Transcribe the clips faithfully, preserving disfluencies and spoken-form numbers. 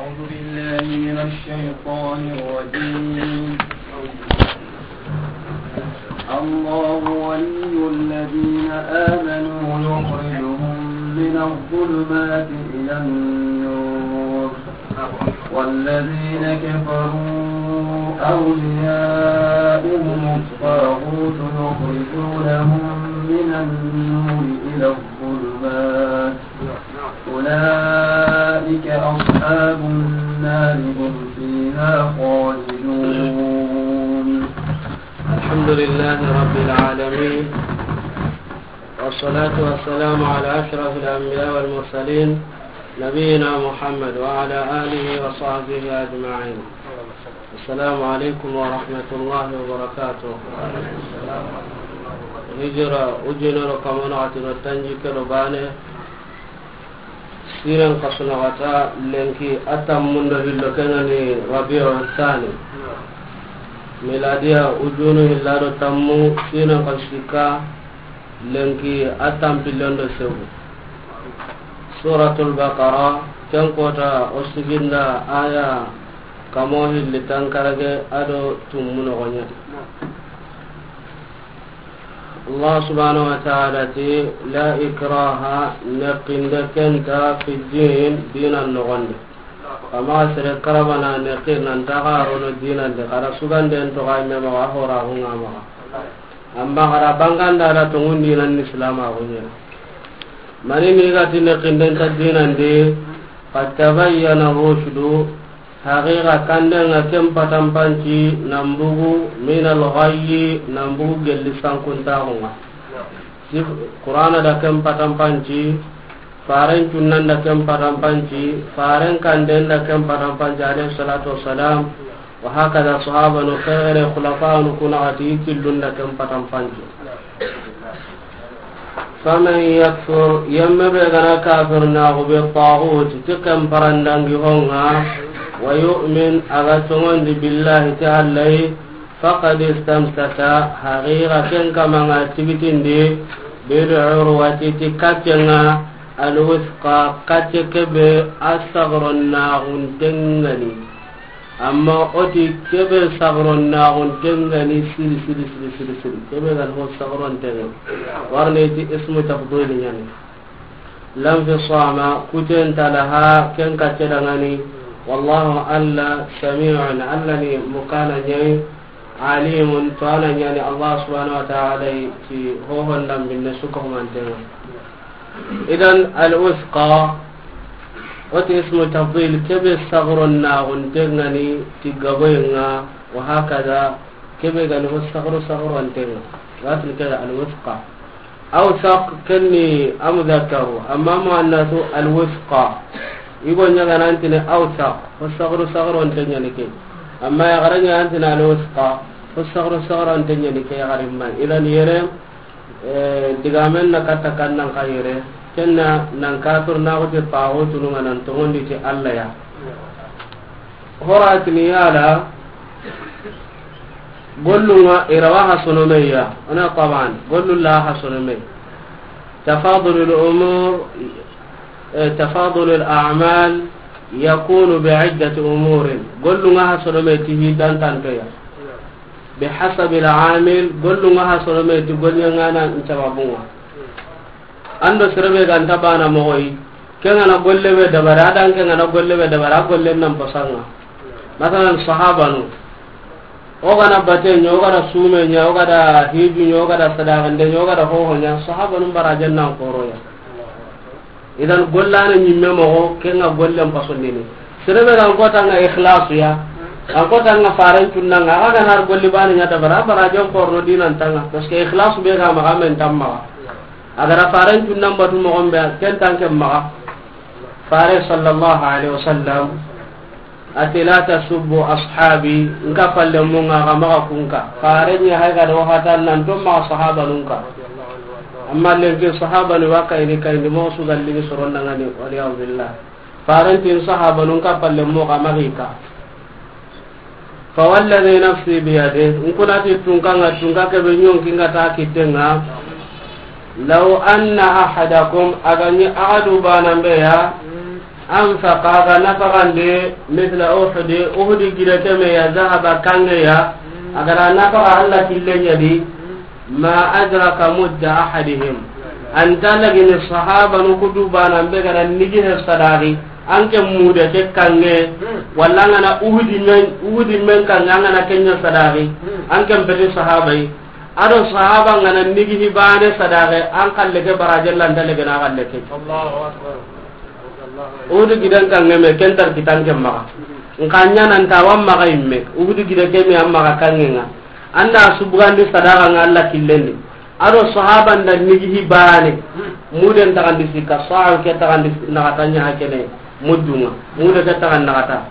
أعوذ بالله من الشيطان الرجيم. الله ولي الذين آمنوا يخرجهم من الظلمات إلى النور، والذين كفروا أولياؤهم الطاغوت يخرجونهم من النور إلى الظلمات، أولئك أصحاب النار هم فيها خالدون. الحمد لله رب العالمين، والصلاة والسلام على أشرف الأنبياء والمرسلين، نبينا محمد وعلى آله وصحبه أجمعين. السلام عليكم ورحمة الله وبركاته. Hijira ujunero kamano atino tanji kero bane. Siren kasunagata lenki a tammundo hillo kengani Rabiu Thani. Miladiya ujunu hillado tammu siren kasika lenki a tampillondo segu. Suratul Baqara, ken kota o siginda aya kamo hilli tankarage ado tummu nogonya. Allah subhanahu wa ta'ala ti, "La ikraha," neqinde kenta, "fi din," dinan nogonde. Kama sere karabana neqi nan taga rono dinande, kada suganden to ga me maga hora hunga maga. Amma kada banganda da tongun dinan islam a gunya. Mani ni gati neqinden ta dinande, "Qad tabayyana rushdu," haqiqa kandenga ken patampanci nambugu minal ghayyi nambugu gelli sankuntaxunga. Sif-, Qur'ana da ken patampanci, faren cunnan da ken patampanci, faren kanden da ken patampanci, alayhi salatu wassalam. Wa hakada sahabanu xeere xulafanu kunaxati killun da ken patampanci. Faman yakfur, yemme be gana kafir naxu be taxuti ti ken parandangi honga, wa yu'min, a ga tongondi billahi ti Allahi, faqad istamsaka, haqiqa ken kamanga tigitindi, bil urwati ti kaccenga, al wuthqa, kacce kebe a sagron naxuntengani. Amma o ti kebe sagron naxuntengani siri, siri, siri, siri, siri. Kebe gan ho sagron tenga. Warne ti ismu tafdil nyani. Lam fi sama, kuten talaha, ken kacce dangani. Wallahu Alla, sami'un, Alla ni mukana nyai. Alimun, to ana nyani Allah subhanahu wa ta'ala ti hohon dambinne suka humantenga. Idan al-wuthqa, wati ismu tafdil, kebe sagron naxuntengani ti gaboyenga, wa hakada, kebe gani ho sagro sagrontenga. Watin kebe al-wuthqa. Awsaq kenni amudhakkaru, amma muannasu alwusqa. Igo ɲaganantini awsaq, ho sagru sagronte ɲani ke. Amma yagara ɲaganantini alwusqa, ho sagru sagronte ɲani ke yagarimma. Idan yere, eh, digamen na katta kannan ka yere, kenna nan kafir na xuti paxo tununga nan tongondi ti Allah ya. Horatini yala, gollunga irawa ha sonomeya, ona taban, gollu la ha sonome. Tafadulul umur, eh, tafadulul a'mal yakunu bi iddati umurin. Gollunga ha sonome ti hi dantantoya. Bi hasabil amil, gollunga ha sonome ti gollengana nsababunga. Ando serebe ganta bana mogoyi, kengana golle be dabari, adan kengana golle be dabari, a golle nan pasanga. Masalan, sahabanu, o gana bate ɲa, o gana sume ɲa, o gana hiju ɲa, o gana sadaqande ɲa, o gana hoho ɲa, sahabanu barajen nan koroya. Idan gollana ɲimme mogo, kenga gollen pasondini. Serebe gan kotanga ikhlasu ya, an kotanga faren cunnanga, aga gana har golli bani ɲa dabara, barajen korno dinan tanga, parce que ikhlasu be ga maga men tammaga. A gara faren cunnan batu mogon be, ken tan ken maxa. Fare sallallahu alaihi wasallam ati, "La tasubbu ashabi," nka palle munga ga maxa kunka. Fare ɲa hay ga do hatan nan to maxa sahaba nunka. Amma lenki sahaba ni waka ini kayndi mo su galli ni soron dangani, wal iyadu billah. Faren tin sahaba nunka palle mo ga maxa ka. Fa walladhi nafsi biyadihi, nkunati tunkanga, tunka kebe ɲonkinga ta kittenga. Law anna ahadakum, agani ahadu banambe ya, Anfaqa, a ga nafaqandi, mithla Uhudi, Uhudi gida keme ya, zahaba, kanŋe ya, a ga ra nafaqa Alla killen ɲa di, ma adraka mudda ahadihim. An ta lagini sahabanu ku du bana be ga na nigi he sadaqi, an ke mude ke kanŋe, walla an ga na Uhudi men, Uhudi men kanŋe, an ga na ken ɲa sadaqi, an ke peti sahabai. A do sahaba n ga na nigi hi bane sadaqe, an kalle ke baraje lanta lege na kalle ke. Allahu Akbar. Uhudi gidan kanŋe me, ken tar kitan ke maxa. N xa ɲa nan ta wa maxa imme. Uhudi gida keme an maxa kanŋe ŋa. An da su bugandi sadaqa ŋa Alla killen di. A do sahaba n da nigi hi bane. Muden taxandi sikka, sa'a ke taxandi naxata ɲa hakene. Muddu ŋa. Mude ke taxan naxata.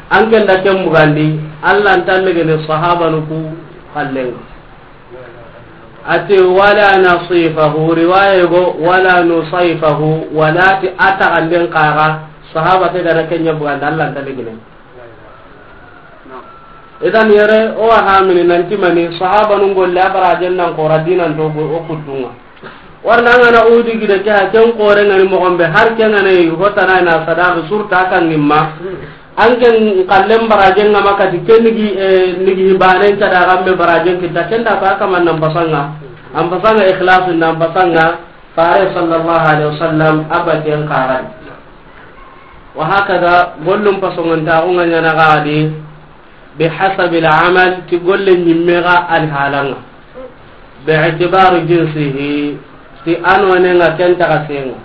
An ken da ken bugandi, Alla nta lege ni sahabanu ku kallen ŋa. Ati, wala nasifahu, riwaya go, wala nusayfahu, wala ti a taxanden kaga, sahaba ke ga na ken ɲa bugandi, Alla nta lege ni. Idan yere, o wa hamini nanti mani, sahabanun golle a barajen nan xora dinan to go, o kuttu ŋa. Warna an ga na Uhudi gida ke, ha ken xore ŋa ni moxon be, har ken ga na yi, hotana na sadaqi surta kan nimma. An ken kallen barajen ŋa ma kati ke nigi, eh, nigi banen ta da gambe barajen kita, ken da ba kaman nan pasanga. An pasanga ikhlasu nan pasanga, fare sallallahu alaihi wasallam, abaten karan. Wa hakada, gollum pasongon ta ko ŋa ɲa na gadi, bi hasabil amal, ti golle ɲimme ga alhalan ŋa. Bi itibari jinsihi, ti a nonen ŋa ken taxa sen ŋa.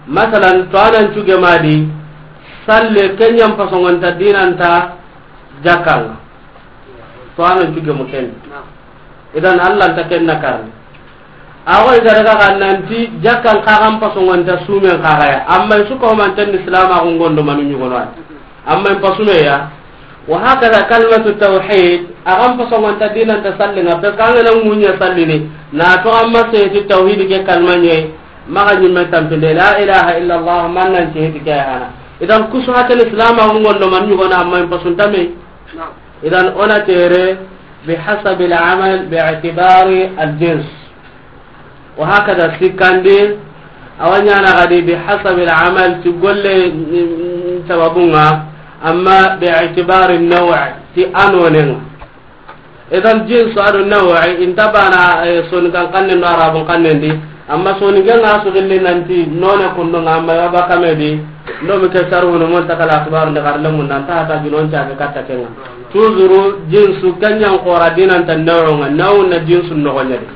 Masalan, to a nan cuge ma di, salle ken ɲa n pasongon ta dinan ta jakkan ŋa. To a nan cuge mo ken. Idan Alla nta ken na karni. A go i ga daga ga nanti jakkan kagan pasongon ta sumen kaga ya. Amma i su ko man tan Islam a go ngondo manu ɲugono ay. Amma in pasume ya. Wa hakada kalimatu tawhid, a gan pasongon ta dinan ta salli ŋa, parce que an ga na ŋuɲa sallini, na to amma seti tawhid ke kalma ɲe, maxa ɲimme tampinde, la ilaha illa Allah, man nan seti ke hana. Idan kusu hatel Islam a go ngondo man ɲugono amma in pasun ta me. Idan o na tere bi hasabil amal bi itibari al jins. Wa hakada sikkandi, a wa ɲana gadi bi hasabil amal ti golle, mm, sababun ŋa, amma bi itibari naw' ti a nonen ŋa. Idan jinsu a do naw' i nta bana, eh, soni kan kannen do arabun kannen di, amma soni gen ŋa su gilli nanti none kundu ŋa, amma ya ba kame di, ndo mi ke saru no mon ta kala akhbar nda kar lamun nan ta ta ginon ta be katta ken ŋa. Toujours jinsu ken ɲa n xora dinan ta naw' ŋa, naw' na jinsu noxon ɲa di.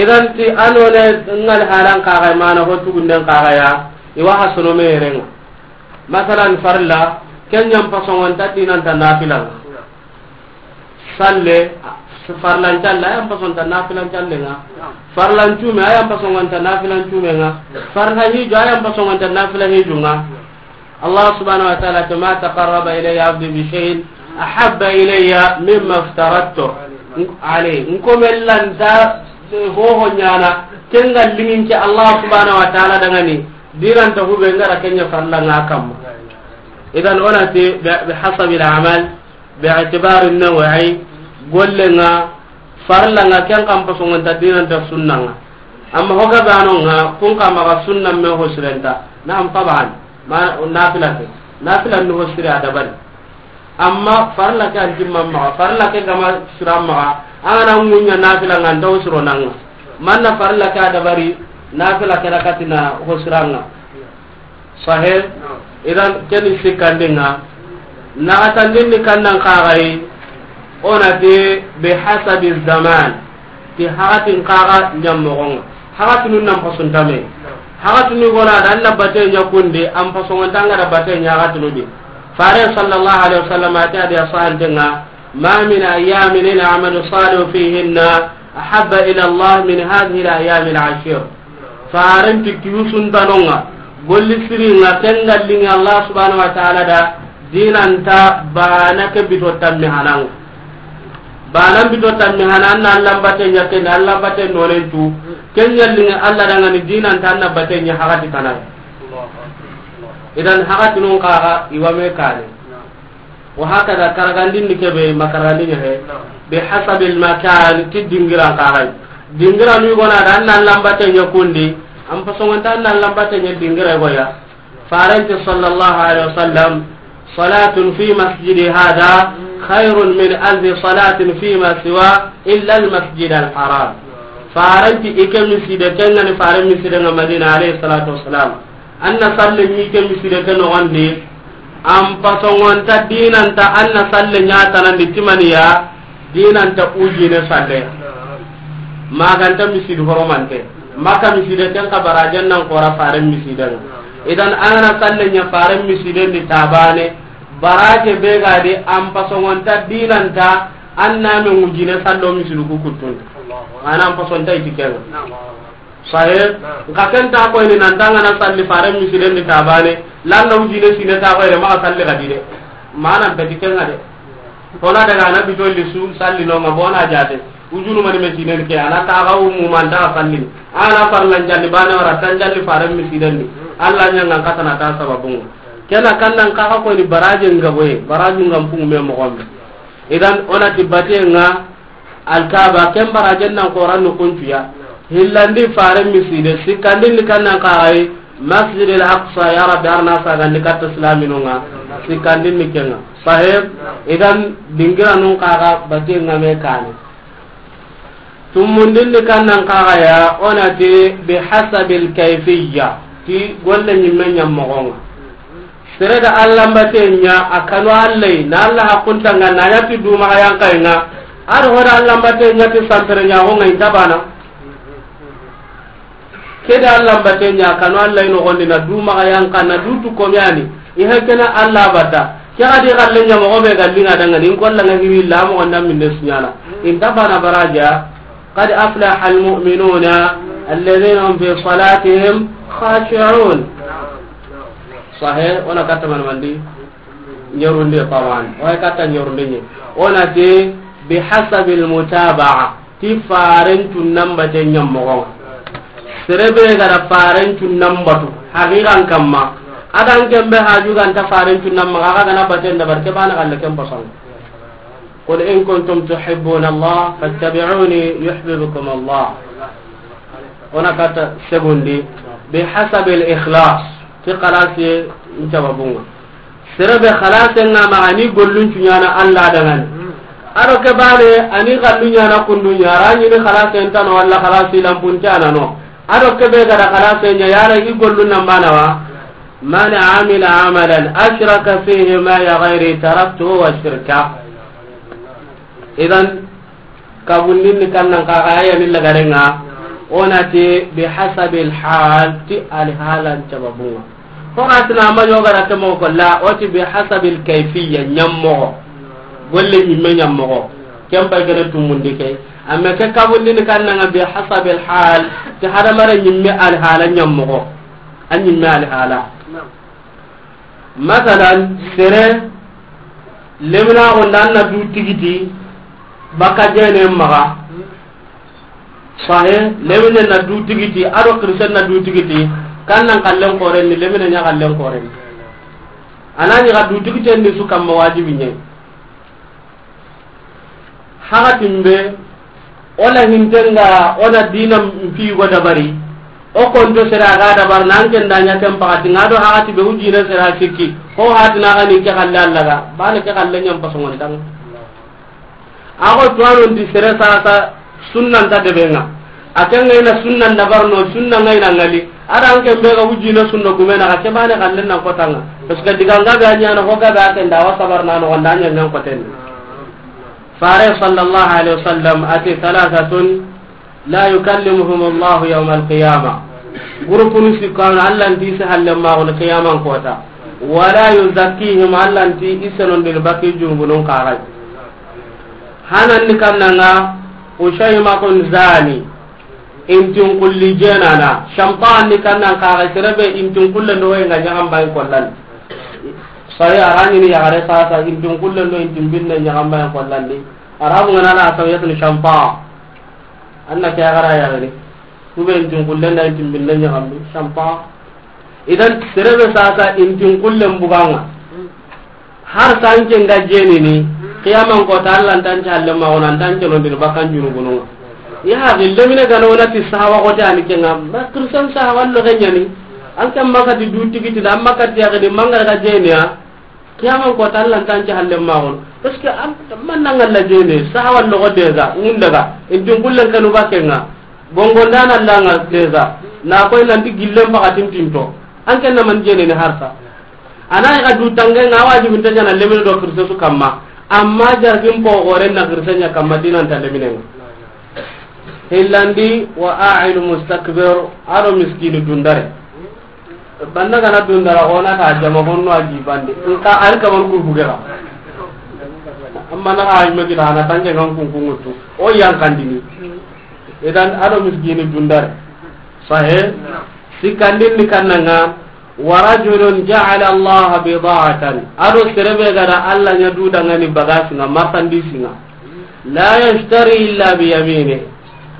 Idan ti a none ŋa alhalan kaga mana ho tugunden kaga ya, i wa ha sono me yere ŋa. Masalan farla, ken ɲa n pasongon ta dinan ta nafila ŋa. Salle, farlan calle, a ya n pasonta nafilan calle ŋa. Farlan cume, a ya n pasongon ta nafilan cume ŋa. Farla hiju, a ya n pasongon ta nafila hiju ŋa. Allah subhanahu wa ta'ala, ma taqarraba ilayya abdi bi shay'in ahabba ilayya mimma aftaradtu alayhi. Nko mellanta hoho ɲana, ken ga liŋin ke Allah subhanahu wa ta'ala dangani, dinan ta hube ngara ken ɲa farla ŋa kamma. Idan o na ti bi, bi hasabil amal, bi itibari naw' i, golle ŋa, farla ŋa, ken kan pasongon ta dinan ta sunna ŋa. Amma ho ga bano ŋa, kun ka maxa sunna me ho sirenta. Na'am, taban. Ma, nafila ke. Nafila ni ho sire a dabari. Amma farla ke an timma maxa, farla ke gama sira maxa, an ga na ŋuɲa nafila ŋa, an ta ho siro nan ŋa. Manna farla ke a dabari, nafila ke na katina ho sira ŋa. Sahih. Idan keni sikkandin ŋa. Naxatandin ni kannan kaxayi. O na ti bi hasabi zaman. Ti hakatin kaxa ɲammoxon ŋa. Hakatinu nan pasuntame. Hakatinu gona da an na bate ɲa kundi, an pasongonta ŋa da bate ɲa hakatinu di. Fare sallallahu alaihi wasallam a ti a di a sahanten ŋa. Ma min ayyamin al-amalu salihu fihinna ahabba ila Allah min hadhihi al-ayyam al-ashir. Faren ti kiyu suntanonga, golli siringa, ken gallinga Allah subhanahu wa ta'ala da, dinanta bana ke bito tammi hananga. Bana bito tammi hanan na Allah bate ɲa ken, Allah bate nonen tu. Ken gallinga Allah dangani dinanta na bate ɲa hakati kanai. Idan hakati non kaga iwame kane. Wa hakada, karagandin ni kebe, makaragandin ya he. Naam. Bi hasabil makan, ti dingiran kaxay. Dingiran wi gona da, an nan lambate ɲa kundi, an pasongonta an nan lambate ɲa dingira goya. Faranti sallallahu alaihi wasallam, "Salatun fi masjidi hada khairun min alfi salatin fi ma siwa illa al masjid al haram." Faranti ike miside kengani faren miside nga Madina alaihi salatu wasalam. Anna salle ni ke miside ke nogondi. An pasongonta dinanta anna salle nya tanandi timaniya dinanta ujine salle. Maganta misidi horomante. Maka miside ken ka barajen nan kora faren misiden. Idan anana salle nya faren misiden di tabane. Baraje be gadi an pasongonta dinanta anna me ujine sallo misidu ku kuttun. Ana an pasonta itiken. Sahe, nka ken ta koyni nan tanga na salli faren misiden di tabane, landa ujine sine ta koyre ma salli gadi de. Mana beti kenga de. Ona daga na bitolli su salli no ma bona jate. Ujunu mani me sinen ke ana ta ga umu man ta salli. Ana farlan jalli bane wara tan jalli faren misiden di. Allah nyanga katana ta sababun. Kena kannan ka ka koyni baraje ngaboye, baraju ngam pungu me mo gombe. Idan ona tibate nga Alkaba ken barajen nan koran no kuncuya. Hillandi faren miside, sikkandin ni kannan kaxay, Masjid al Aqsa, ya Rabbi, arna sagandi katta islaminunga, sikkandin ni kenga. Sahib, idan dingiranun kaxa batenga me kane. Tumundin ni kannan kaxaya, onati bihasabil kayfiyya, ti golle ñimme ñammoxonga. Sere da Alla mbate ña a kanu Alla yi, na Alla hakunta nga na ña ti duma ga yanka nga. Ado hoda Alla mbate ña ti santere ña ho nga inta bana. Keda Alla mbate ña a kanu Alla yi no gondi na duma ga yanka na dutu komyani. I hakena Alla bata. Ke ga di galle ña mo be gallinga danga ni ko Alla nga hiri la mo gonda min des ñana. Inta bana baraja. قد أفلح المؤمنون الذين هم في صلاتهم خاشعون. Sahih, ona katta man mandi? Ñerundi tawan. Wa katta ñerundi ñi. Ona ti bihasabil mutaba'a. Ti faren tunnan bate ñammoxo. Serebe gara faren tunnan batu. Haqiqan kamma. Adan kembe haju ganta faren tunnan maxa, aga gana baten da barke bana galle ken basang. قل إن كنتم تحبون الله فاتبعوني يحببكم الله. Ona kata segundi, bihasabil ikhlas, ti xalasi ncababunga. Serebe xalase nga ma ani gollun cuñana Alla dangani. Ado ke bane ani gallu ñana kundu ñara ñini xalase ntano walla xalasi lampun cana no. Ado ke be gada xalase ña yara i gollun nan bana wa. من عمل عملا أشرك فيه معي غيري تركته وشركه. Idan, kabundin ni kannan kaga aya ni lagarenga, onati bihasabil hal ti alhalan sababunga. Ho atina ma yoga da temo ko la, oti bihasabil kayfiyya ñammoxo. Golle ñimme ñammoxo. Ken pay gana tumundi ke. Amma ke kabundin ni kannanga bihasabil hal ti hadamare ñimme alhala ñammoxo. A ñimme alhala. Masalan, sere, lemina gonda na du tigiti, baka jene maga. Sahe, lemine na du tigiti, ado kirisen na du tigiti, kannan kallen koren ni, lemine ña kallen koren ni. Anani ga du tigiten ni su kamma wajibi ñe. Hakatin be, ona hintenga, ona dina mpi go dabari. O konto sera ga dabar nan ken da ña ken pakati nga do hakati be ujina sera sikki. Ko hati na gani ke kalle Alla ga. Bana ke kalle ñam pasongon tang. Ago tuwano ndi sere sasa sunnan ta debenga. A ke nga ina sunnan dabar no, sunna nga ina ngali. Ada an ke mbega wujina sunna gumena ka ke bane kallen nan kotanga. Parce que diga nga be anyana ho ga be a ke nda wa sabar nano wanda anya nan koten. Fare sallallahu alaihi wasallam ati thalathatun la yukallimuhum Allah yawm al-qiyamah. Gurupunu sikkan Alla nti se halle ma on qiyaman kota. Wala yuzakkihim, Alla nti isenon dil baki junubunun kagai. Hanan ni kannanga, Ushaymatun zani, intin kulli jenana. Shampa ni kannan kaga serebe intin kulle ndo nga ñaxam bay kollan. Sai arani ni yagare sasa intin kulle ndo intin binne ñaxam bay kollan di. Arabu ngana la sawiyatun shampa. Anna ke yagara yagare. Kube intin kulle nda intin binne ñaxam bi shampa. Idan serebe sasa intin kullen buganga. Har sanke nga jenini, qiyaman kota Alla ntan calle ma wona ntan cono ndin bakan junubununga. Ya haqi lemine gana wona ti sahawa kote ani kenga, ma kirsan sahawa lo kenyani. An ke makati du tigiti da, an makati ya gadi mangara ga jeniya. Kiyaman ko tan lan tan ci halle ma on. Parce que an man nan Allah jene, sahawa logo deza, mun daga, intin kullen kanu bakenga. Bongo ndana langa deza. Na koy nan di gillen bakatin tinto. An ke na man jene ni harsa. Ana ga du tange nga wajibin ta jana lemine do kirse su kamma. Amma jargin po gore na kirse nya kamma dinan ta lemine. Hillandi wa a'ilu mustakbir, ado miskini dundare. Banna gana dundara, ona ta jama honno a jibande. Nka ar kaman ku bugera. Amma na ay magi da na tanke ngan kun kun mutu. O yan kandini. Idan ado miskini dundare. Sahe? Sikandin ni kannanga, wa rajulun ja'ala Allah bida'atan. Ado serebe gada Allah nya du dangani bagasi nga, marchandise nga. La yashtari illa bi yamini.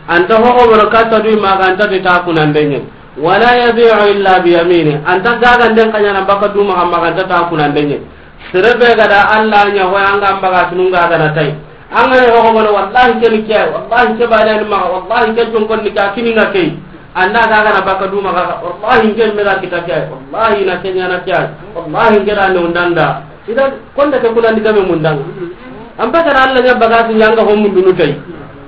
Anta ho o boro katta du ma ganta de ta kunandenye. Wala yabi'u illa bi yamini. Anta gaga den kanyana baka du ma ganta ta kunandenye. Serebe gada Allah nya ho anga baga tununga gana tai. Anga ho ko mana wallahi ke ni kiya, wallahi ke bana ni ma, wallahi ke jon kon ni ka kini nga kai. Anda gaga na baka du ma gaga, wallahi ke me ga kita kiya, wallahi na kenya na kiya, wallahi ke da ne undanda. Idan konda ke kuna ni game mundanga. An pa kana Allah nya baga tu nyanga ho mundunu tai.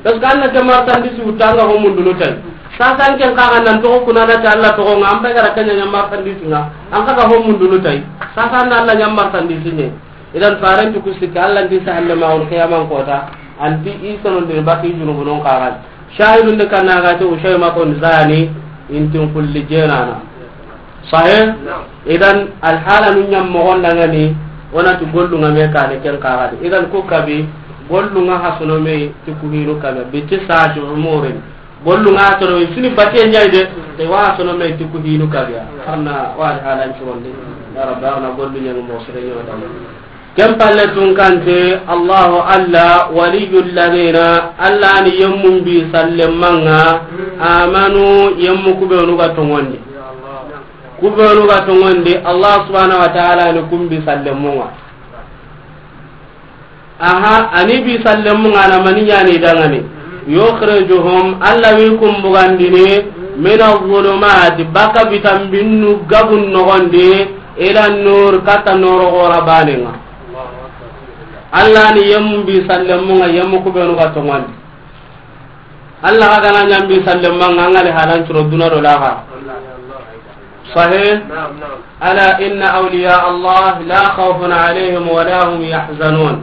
Parce que Allah ke marchandise utanga ho mundunu tai. Sasa an ken kaga nan to kuna da ta Allah to nga an pa kana kanya nya marchandise nga. An kaga ho mundunu tai. Sasa na Allah nya marchandise ne. Idan faranti ku sikka Allah ndi sahalle ma on qiyaman kota. Anti i sono ndi baki junubunon kagan. Shahidun de kana ga to ushay ma kon zani intin kulli jenana. Sahih? Idan alhala nun nyam mo gonda ngani, onati gollunga me kane ken kagadi. Idan ku kabi, gollunga hasono me ti ku hinu kaga. Biti sa'ati umurin. Gollunga toro sini batiye nyai de, te wa sono me ti ku hinu kaga. Arna wa halan curonde. Ya Rabbi, arna gollu nyang mo sere nyota. Ken palle tun kante, Allahu Alla, waliyyu alladhina, Alla ni yemmun bi sallemanga, amanu, yemmu kubenu ga tongondi. Kubenu ga tongondi, Allah subhanahu wa ta'ala ni kun bi sallemunga. Aha, ani bi sallemunga na mani yani dangani. Yukhrijuhum, Alla wi kun bugandini, min adh-dhulumati, baka bitambinnu gabun nogondi, ila nur, kata noro gora banenga. Allah ni yemmu bi sallemunga, yemmu kubenu ga tongondi. Allah ga gana nyambi sallemanga, angale halan turo duna do laga. Sahih? Ala inna awliya Allah la khawfun alayhim wa la hum yahzanun.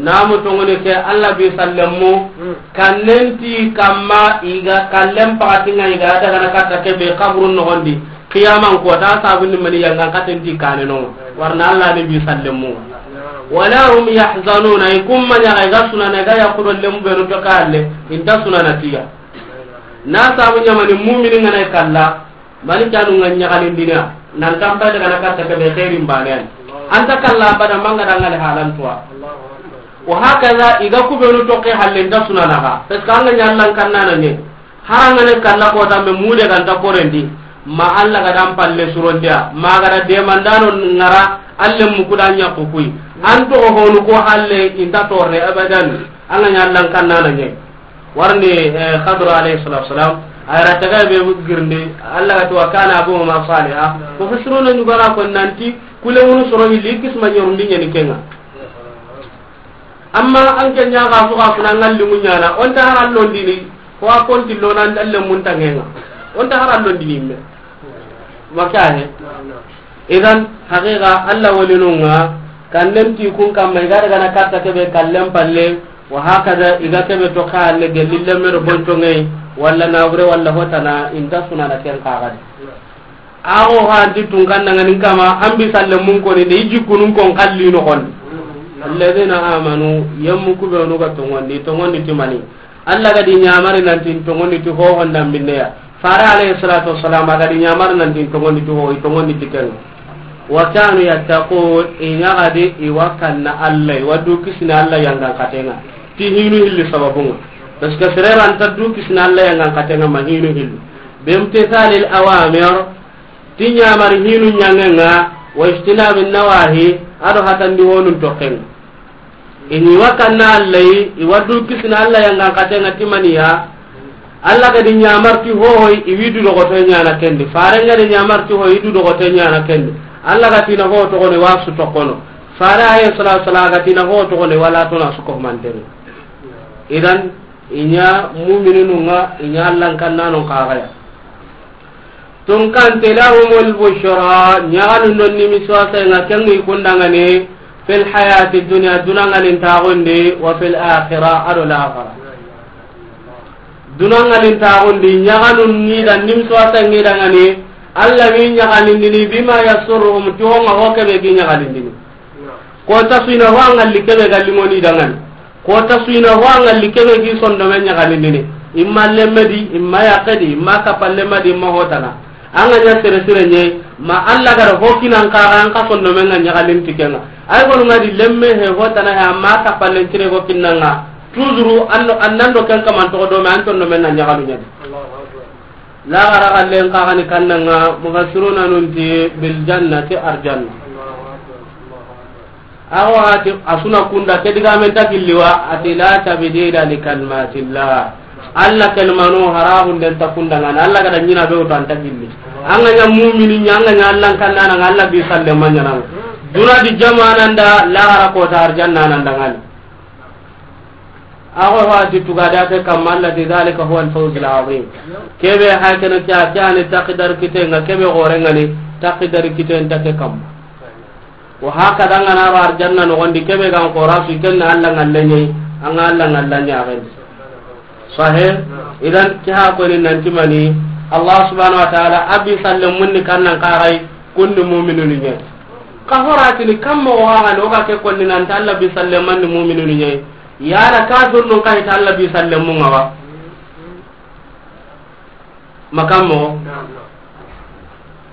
Namu tongoni ke Allah bi sallemu, kannenti kamma iga kallem pakatinga iga daga na katta kebe kaburun nogondi. Qiyaman kota, sabundi mani yangan katen ti kane no. Warna Allah ni bi sallemu. Wala hum yahzanuna, i kumma nya ga sunana ga ya kudo lemu benu to kalle, inta sunana tiya. Na sabu nya mani mu'mini ngana kalla, mani kanu nganya kalindina, nan tampa daga na katta ke be khairin banen. Anta kalla bada manga dangale halan tuwa. Wa hakaza, iga kubenu to ke halle inta sunana ga. Parce que anga nya Allah kannana ne. Harangane kalla kota me mude ganta korendi, ma Allah ga dan palle surondiya, ma ga da demandano ngara, alle mukuda nya kukui. An to honu ko halle inta torre abadan, anga nya Allah kannana nye. Warni, eh, Khadr alayhi salatu wasalam, ayra taga be girndi, Allah ga to wa kana abuhuma saliha, ko fasiruna nyugara ko nanti, kule wonu soro hilli kisma nyorundi nyani kenga. Amma an ke ɲa ga su ga funa ngalli muɲana, on ta haran londini, ko a konti lona ndalle mun tangenga. On ta haran londini me. Maka he. Idan, haqiqa, Allah walinunga, kanden ti kun kamma, iga daga na katta kebe kallen palle, wa hakada, iga kebe to ka alle gelli lemme do bonto ngai, walla na wure, walla hotana, inta sunana ken kagadi. Awo hanti tunkan nangani kama, an bi salle mun koni de, i jikkunun kon kalli no kon. Alladhina amanu, yammu kubenu ga tongondi, tongondi ti mani. Allah ga di ɲamari nanti tongondi ti ho honda minneya. Fare alayhi salatu wassalam, a ga di ɲamari nanti tongondi ti ho, i tongondi ti ken. Wa kanu yattaqun, i ɲa ga di i wa kanna Allah, i wa du kisina Allah yangan katenga. Ti hinu hilli sababunga. Parce que sere ranta du kisina Allah yangan katenga ma hinu hilli. Bimtithalil awamir, ti ɲamari hinu ɲangenga, wa ijtinabi nawahi, ado hatandi honun token. Ini wa kanna Allah, i wa du kisina Allah yangan katenga ti maniya, Alla ga di ɲamarti hohoy, i wi du dogoto ɲana kendi. Fare nga di ɲamarti hoy, i du dogoto ɲana kendi. Alla ga tina ho toxone, wa su toxono. Fare alayhi salatu wasalam ga tina ho toxone, wala tona su ko mantene. Idan, i ɲa mu'mininu nga, i ɲa Allan kannanon kaxaya. Tunkante, lahumul bushra, ɲaxanu non nimisuwasa nga, kengi kundangani, fil hayati dunya, dunangalin taxundi, wa fil akhira, ado laxara. Dunangalin taxundi, ɲaxanu ni da nimisuwasa ngi dangani, Alla wi ɲaxalindini, bima yasurruhum, ti ho nga ho kebe gi ɲaxalindini. Ko ta suina ho angalli kebe galli ngoni dangani. Ko ta suina ho angalli kebe gi sondome ɲaxalindini. Imma lemme di, imma yaqe di, imma kappa lemma di, imma hotana. Anga ɲa sere sire ɲe, ma Alla gara ho kinan kaga an ka sondome nga ɲaxalin tikenga. Ay gonu nga di lemme he hotana he amma kappa len tire go kinanga. Toujours anno, annando ken kaman to do me an sondome nga ɲaxalu ɲadi. Laxara xallen kaxani kannanga, mufassiruna nunti bil jannati, arjanna. Awa ati asuna kunda ke digamen ta gilli wa, ati la tabdila li kalmatillah. Alla kelmano haraxunden ta kundangana, Alla gada ɲina be wutu an ta gilli. Anga ɲa mumini ɲa, anga ɲa Allan kannana nga, Alla bi salle maɲananga. Duna di jamananda, laxara kota arjanna nandangani. Ago hati tugada ke kamma, allati dhalika huwa al-fawz al-azim. Kebe hakana kya kyani takdar kite nga, kebe gore ngani takdar kite nta ke kamma. Wa hakada ngana ro arjanna no gondi kebe gan qora su kenna Alla ngallenye, anga Alla ngallanya gani. Sahih. Idan ki ha ko ni nanti mani, Allah subhanahu wa ta'ala abi sallam munni kannan kagai kunni mu'minun ni. Ka horatini kamma o haga no ga ke konni nan ta Alla bi sallam manni mu'minun ni. Yala kafirnun kay ta Alla bi sallemun nga wa? Makammo.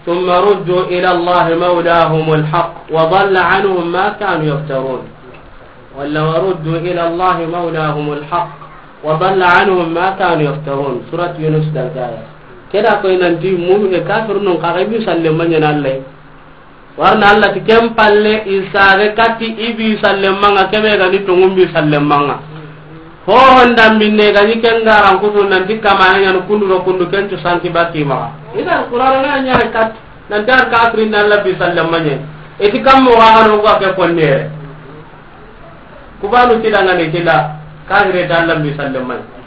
Thumma ruddu ila Allahi mawlahumul haqq wa dhalla anhum ma kanu yaftarun. Walla wa ruddu ila Allahi mawlahumul haqq wa dhalla anhum ma kanu yaftarun. Surat Yunus dalgaya. Keda koy nanti mu'min kafirnun kaga bi sallemun nga na Allah. Warna Allah ti ken palle i sare kati i bi sallemanga kebe ga ni tongun bi sallemanga. Ho honda minne ga ni ken garan kutu nanti kamana ɲan kundu ro kundu ken tu santi baki maga. Ida Qur'an na ɲa kat nanti ar kafirin na Allah bi sallemanye. Eti kammo ga no ga ke konnere. Kubanu tilanga ne tila kafire da Allah bi sallemanye.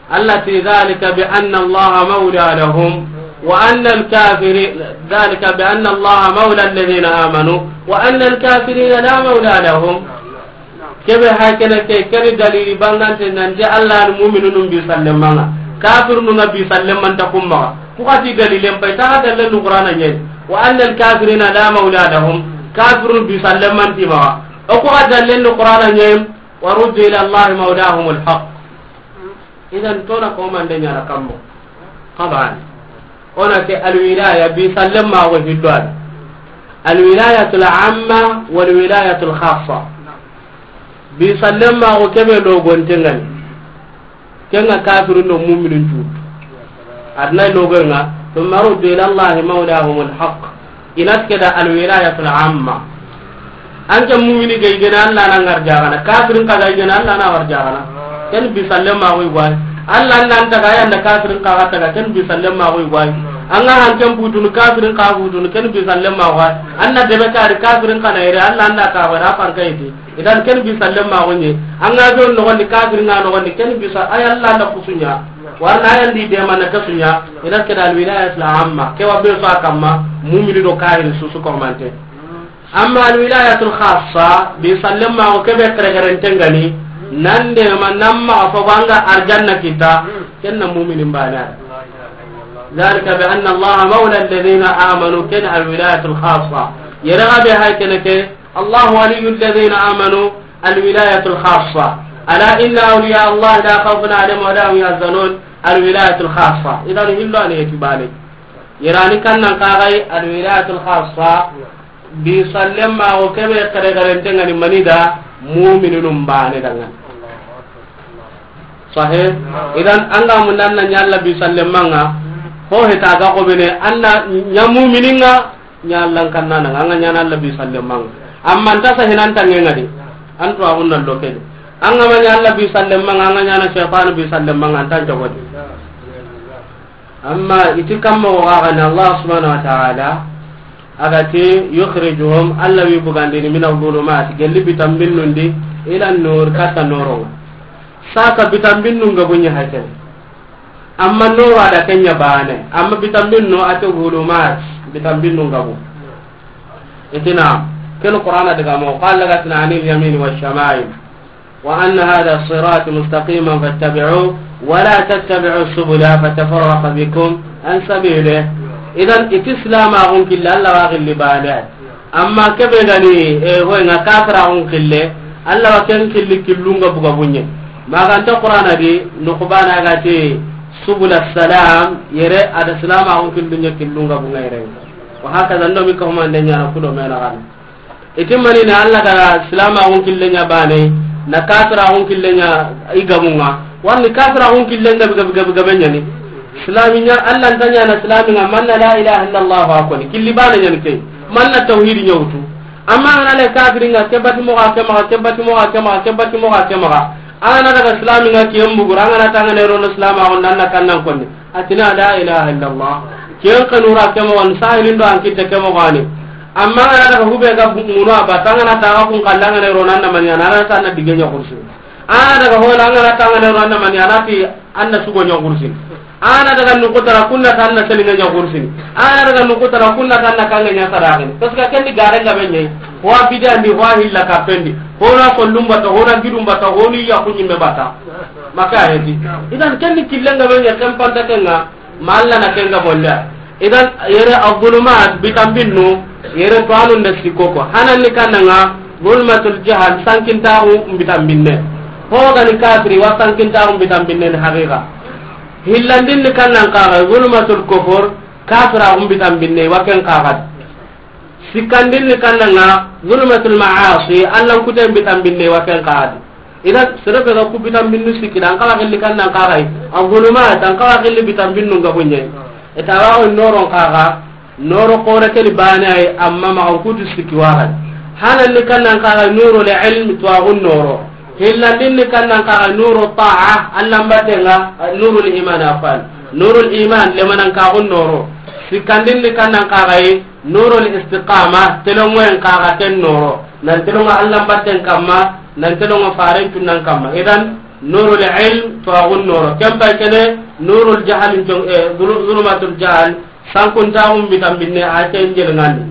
التي ذلك بأن الله مولى لهم وأن الكافرين، ذلك بأن الله مولى الذين آمنوا وأن الكافرين لا مولى لهم. Kebe hakene ke, keni dalili bangante nanti Allah ni mu'minun bi sallemanga. Kafirun nga bi sallemanta kumma. Ku kati dalilen pay ta dalilen Qur'ana nyen. وأن الكافرين لا مولى لهم. Kafirun bi sallemanti ma. O ku dalilen Qur'ana nyen. ورد إلى الله مولاهم الحق. Idan tona ko mande ɲana kammo. Taban. Ona ke alwilaya bi sallemma go hiddo. Alwilayatul amma wal wilayatul khassa. Bi sallemma go kebe logonte ngani. Kenga kafirun do mu'minun tu. Adna logonga, thumma ruddu ila Allahi mawlahumul haqq. Inat keda alwilayatul amma. Anke mu'mini ga igene Allah na ngar jagana, kafirin ka ga igene Allah na war jagana. Ken bi sallemma go igwai. Allah nan taga yanda kafirin ka ga taga, ken bi sallemma go igwai. Anga hanken butun kafirin ka butun, ken bi sallemma go. Anna debe kari kafirin ka na ire Allah anda ka wara fankaiti. Idan ken bi sallemma go nye. Anga don no gondi kafirin nga no gondi ken bi sa ay Allah na kusunya. Warna yandi de mana kasunya. Idan keda alwilayatul amma. Ke wa be sa kamma mu'mini do kafiri susu ko mante. Amma alwilayatul khassa, bi sallemma go kebe kere kere tengani, nande ma namma fo banga arjanna kita, kenna mu'minin bana. ذلك بأن الله مولى الذين آمنوا, ken alwilayatul khassa. Yere ga be hay kene ke, الله ولي الذين آمنوا, الولاية الخاصة. ألا إن أولياء الله لا خوف عليهم ولا هم يحزنون, الولاية الخاصة. Idan hillo ani etibale. Yere ani kannan kagai alwilayatul khassa. Bi sallemma go kebe kere kere tengani mani da mu'minun bane dangan. Sahih. Idan anga mun nan na ɲalla bi sallemma nga. Ho heta ga ko bene anna ɲa mu'mininga ɲa Allah kanna nga anga ɲa na Allah bi sallemma nga. Amma nta sahinan tangenga di. Antu agunna lokedi. An ga ma ɲa Alla bi sallen maŋa, an ga ɲaana shaytan bi sallen maŋa, an ta n cogodi. Amma i ti kamma o ga ni Allah subhanahu wa ta'ala, a ga ti, "Yukhrijuhum", Alla wi bugandini, "mina dhulumat", gelli bitanbinnun di, "ila nur", katta nooro ŋa. Sasa bitanbinnun gabu ɲa hay kene. Amma nooro a da ken ɲa baane, amma bitanbinnu a ti dhulumat, bitanbinnun gabu. I ti na, ken Qur'ana daga mo, qala lagatina anil yamini wash shama'il. "Wa anna hadha sirati mustaqiman fattabi'uhu, wa la tattabi'u subula fatafarraqa bikum an sabilihi." Idan, i ti silamaxun kille, Alla wa xilli baane. Amma kebe ga ni, e, hoy ŋa kafiraxun kille, Alla wa ken xilli killun gabu gabu ɲa. Ma ga nta Qur'ana di, nuqbana ga ti subula salam, yere a da silamaxun killun ɲa killun gabu ŋa yere. Wa hakaza, ndo mi ka humande ɲaana kudo mena gana. I ti mani na Alla ga silamaxun kille ɲa baane, na kafiraxun kille ɲa i gabu ŋa. Warni kafiraxun kille gabe, gabe, gabe, gabe ɲa ni. Silami ɲa, Alla nta ɲaana silami ŋa, manna la ilaha illallah wa koni. Killi baane ɲa ni ke. Manna tawhidi ɲa wutu. Amma an ga na le kafiri ŋa, ke bati moxo ke maxa, ke bati moxo ke maxa, ke bati moxo ke maxa. An ga na daga silami ŋa, ke mbugura, an ga na tangana rono silamaxun da, an na kannan konni. A ti na la ilaha illallah. Ken kanura ke moxo ni, sahilin do an kitte ke moxo ni. Amma an ga na daga hube ga munu a bata, an ga na taga kun kalla, an ga na ro nan na mani ɲaana, an na ta na dige ɲa kursi. An ga na daga hola, an ga na ta, an ga na ro nan na mani ɲaana, ti an na sugo ɲa kursi. An ga na daga nuku tara, kun na ta an na seli ɲa kursi. An ga na daga nuku tara, kun na ta an na kanga ɲa saraxini. Parce que ken ni garen gabe ɲa yi. Ho a bidi an di, ho a hilla ka pen di. Ho na sollun bata, ho na gidun bata, ho ni ya kunyi me bata. Maka heti. Idan ken ni killen gabe ɲa, ken panta ken ŋa. Ma Alla na ken ga bonda. Idan yere adh-dhulumat, bitanbinnu, yere to anu nda sikoko. Hanan ni kananga, dhulmatul jahl, sankintaxu bitanbinne. Ho ga ni kafiri, wa sankintaxu bitanbinne ni haqiqa. Hillandin ni kannan kaga, dhulmatul kufur, kafiraxu bitanbinne, wa ken kaga. Sikkandin ni kannanga, zulumatul ma'asi, Allan kuten bitanbinne wa ken kaga di. Idan, sere be ga ku bitanbinnu sikki da, an kawa xilli kannan kaga yi. An zulumat, an kawa xilli bitanbinnu ga bunye. Eta wa o noron kaga, noro kore ke ni bane ay, amma ma an kutu sikki wa ga. Hanan ni kannan kaga, nurul ilm, to agun noro. Hillandin ni kannan kaga, nuru ta'a, Allan batenga, nurul iman afan. Nurul iman, lemanan kagun noro. Sikkandin ni kannan kaga yi, nurul istiqama, telongoyen kaga ken noro. Nan telongo Allan batten kamma, nan telongo faren tunnan kamma. Idan, nurul ilm, to agun noro. Ken pay kene, nurul jahal, jong, eh, zulu-, zulumatul jahal, sankuntaxun bitanbinne, a ken jelngandi.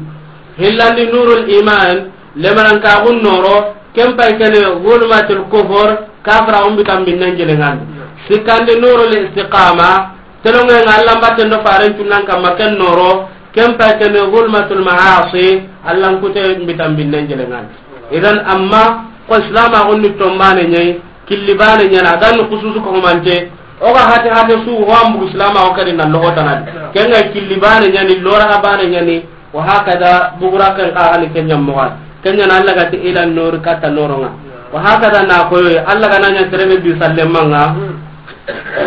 Hillandi nurul iman, lemanan kagun noro, ken pay kene, zulumatul kufur, kafiraxun bitanbinnen jelngandi. Sikkandi nurul istiqama, telongoyen ŋa Allan batten do faren tunnan kamma ken noro, ken pay kene zulmatul ma'asi, Allan kute bitanbinnen jelengani. Idan amma, ko Islam a gonni tombane ɲayi, killi bane ɲana, dan khususu ko mante, o ga hate hate su, ho ambu Islam a o kadi na logo tanadi. Ken ŋa killi bane ɲani, lora ga bane ɲani, wa hakada, bugura ken kaga ni ken ɲa moxo. Ken ɲa na Alla ga ti ila nur kata noronga. Wa hakada na koyo, Alla ga na ɲa terebe bi sallemanga,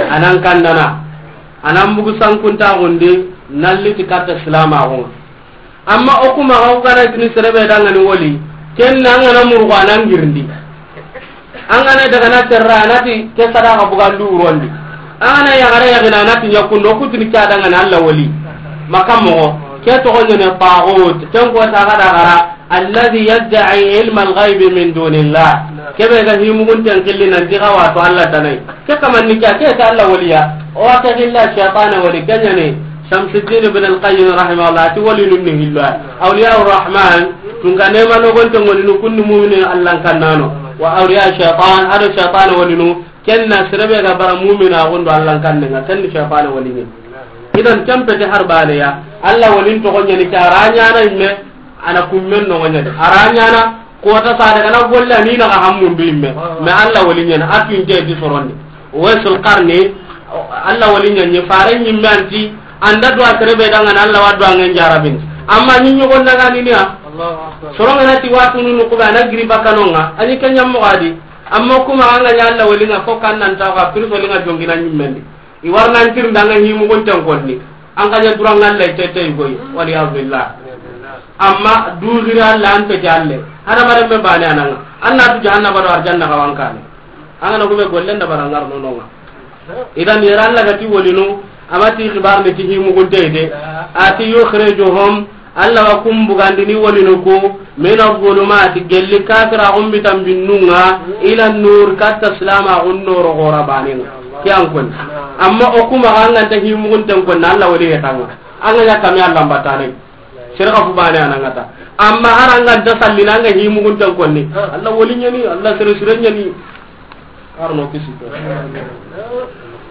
anan kandana. Anan bugu sankuntaxundi, nalli ti katta silamaxunga. Amma o kuma xa, o gana tini serebe dangani woli, ken na an gana murugo anan girindi. An gana daga na terra, anati ke sadaka bugandu urondi. An gana yagara yagina, anati ɲakundo, o kutini ke dangani Alla woli. Maka moxo, ke toxo ɲene taxut, ken ko saga dagara, الذي يدعي علم الغيب من دون الله. Kebe ga himugunten killi nan ti ga wato Alla tanai. Ke kaman ni ke, ke ta Alla waliya. O wa ke hilla shaytana wali kenyani. Shamsuddin ibn al-Qayyim rahimahullah ti wali nun ni hillo. Awliya Rahman, tunga nema no gonte ngoni nu kunni mu'minin Allan kannano. Wa awliya shaytan, ado shaytana wali nu. Ken na serebe ga bara mu'mina gondo Allan kannenga, ken ni shaytana wali ni. Idan ken pete har bane ya. Alla walin to gonya ni ke a ra ɲana imme. Ana kummen no ŋa ɲadi. A ra ɲana, kota sade kana golle ni na ga hammundu imme. Mais Alla wali ɲana, a tun je di sorondi. Waisul Qarni, Alla wali ɲani, fare ɲimme anti, anda do a terebe dangana Alla wa do angen jarabin. Amma ni ɲogon daga ni niya. Soronga na ti wa tunu nu kuba na giri bakanonga, ani kanyam mo gadi. Amma kuma anga ɲa Alla wali ŋa ko kan nan ta ga pirso li ŋa jongina ɲimmendi. I warna an tirnda ŋa himugunten konni. An ka ɲa duran ŋa Alla tete goy. Wal iyadu billah. Amma duzira Alla an pete Alla. Hada mare me bane ananga. Anna tu jahannaba do arjanna kawankane. An ga na ku be gollen da bara ngar no no nga. Idan yera Allah ga ti wolinu, a ma ti xibar ni ti himugunte de. A ti yukhrijuhum, Allah wa kum bugandini wolinu ku, min az-zulumati, gelli kafira gumbi tambinnunga, ila nur, katta silama gun noro gora baninga. Ki an kon. Amma o kuma ga an ga nta himugunten kon, Allah wali hetanga. An ga ya kami Allah mbatane. Sere ga fu bane anangata. Amma har an ga nta sallina, an ga himugunten konni. Allah wali nyani, Allah sere sere nyani. Arno kisi.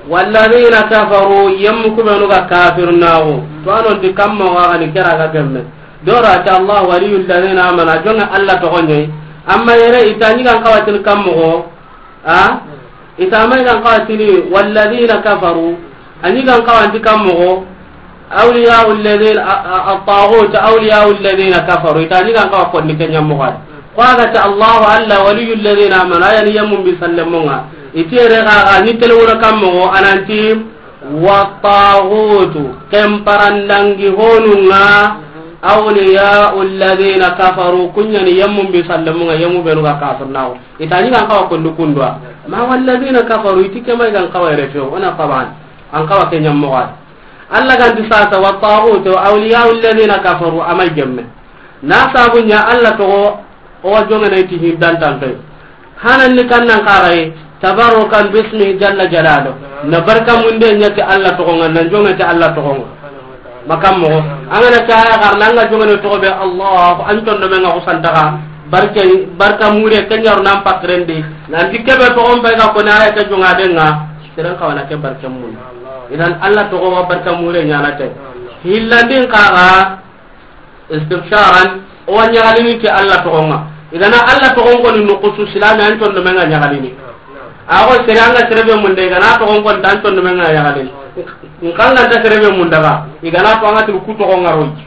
Walladhina kafaru, yemmu kubenu ga kafirnaxu. To anon ti kamma wa gani kera ga gemme. Dora ta Allah waliyul ladhina amanu, jonga Allah to gonye. Amma yere itani gan kawatin kammo go. A? Ita mai gan kawatini walladhina kafaru. Ani gan kawanti kammo go. Awliya'u alladhina, a, a, at-taghut awliya'u alladhina kafaru. Itani gan kawa konni kenya mo gadi. Ko a ga ta Allahu alla waliyyu alladhina amanu, a ya ni yemmun bi sallemunga. Iti yere ga, ga ni telewura kammo go, a na ti, wa taghutu, ken parandangi honunga, awliya'u alladhina kafaru, kunya ni yemmun bi sallemunga, yemmu benu ga kafirnaxu. Itani gan kawa kondu kundwa. Ma walladhina kafaru, iti ke mai gan kawa yere few, ona faban. An kawa kenya mo gadi. Alla ganti sasa, wa taghutu awliya'u alladhina kafaru, a mai gemme. Na sabu nya Alla togo, o wa jongene ti hindantan kai. Hanan ni kannan kagai, tabarrukan bismihi jalla jalaluhu. Na barka munde nya ti Alla togonga, na jonge ti Alla togonga. Makammo, an ga na caya garna, an ga jongene togo be Allah, an tondo menga kusantaga. Barke, barka mure kenyaru nan pakrendi. Nan ti kebe togon be ga ko na ya ke jonga denga. Siran kawana ke barke mun. Idan Alla togo wa barka mure nyana te. Hillandin kaga istibsharan, o wa nyagalini ti Alla togonga. Igana Alla togon koni nukusu silami, an tondo menga nyagalini. Ago sere anga sere be munda, igana togon koni an tondo menga nyagalini. Nkanga nta sere be munda ga, igana to anga tu ku togonga roji.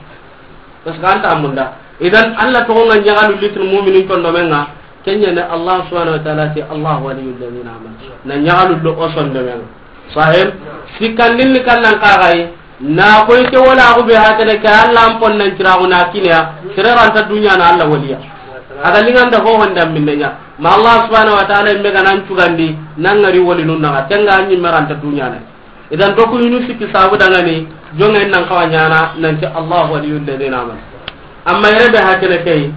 Parce que anta munda. Idan Alla togonga nyagalu litin mu'minin tondo menga. Kenya ne Allah subhanahu wa ta'ala ti, Allahu waliyyu alladhina amanu. Na nyagalu do o sondo menga. Sahib, sikandin ni kannan kagai, na koy ke wala ko be hakene ke Alla an pon nan ciragu na kiniya, sere ranta dunya na Alla waliya. Aga linganda ho honda minne nya. Ma Allah subhanahu wa ta'ala imme ga nan cugandi, nan ngari wali nun na, tenga anyi meranta dunya na. Idan doku yunu sikki sabu dangani, jonga nan kawa nyana, nan ti Allah waliyyu alladhina amanu. Amma yere be hakene kei,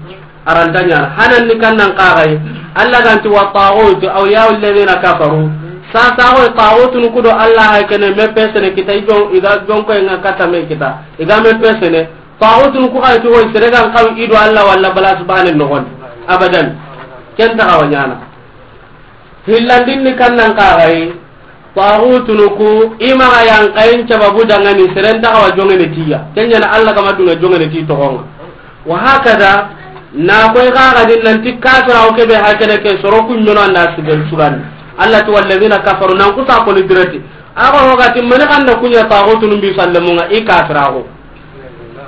aranta nyana. Hanan ni kannan kagai, Alla ganti wa taghutu awliya'u alladhina kafaru. Sasa go taghutun kudo Alla hakene me pesene kita i jon, iga jonko nga kata me kita. Iga me pesene. Taghutun ku ga ti go sere gan kaw ido Alla walla bala subhanahu nogon. Abadan. Kenta kawa nyana. Hillandin ni kannan kagai, taghutunu ku, i maxa yankayen cababu dangani, seren taxawa jongene tiya. Kenya na Alla kama dunga jongene ti toxonga. Wa hakada, na koy xaxadin nanti kafira o kebe hakene ke soro ku ɲono anda sigal sugandi. Alla ti walladhina kafaru nan kusa koni direti. Axa hogati mani xanda kuɲa taxutunu bi sallemunga i kafiraxu.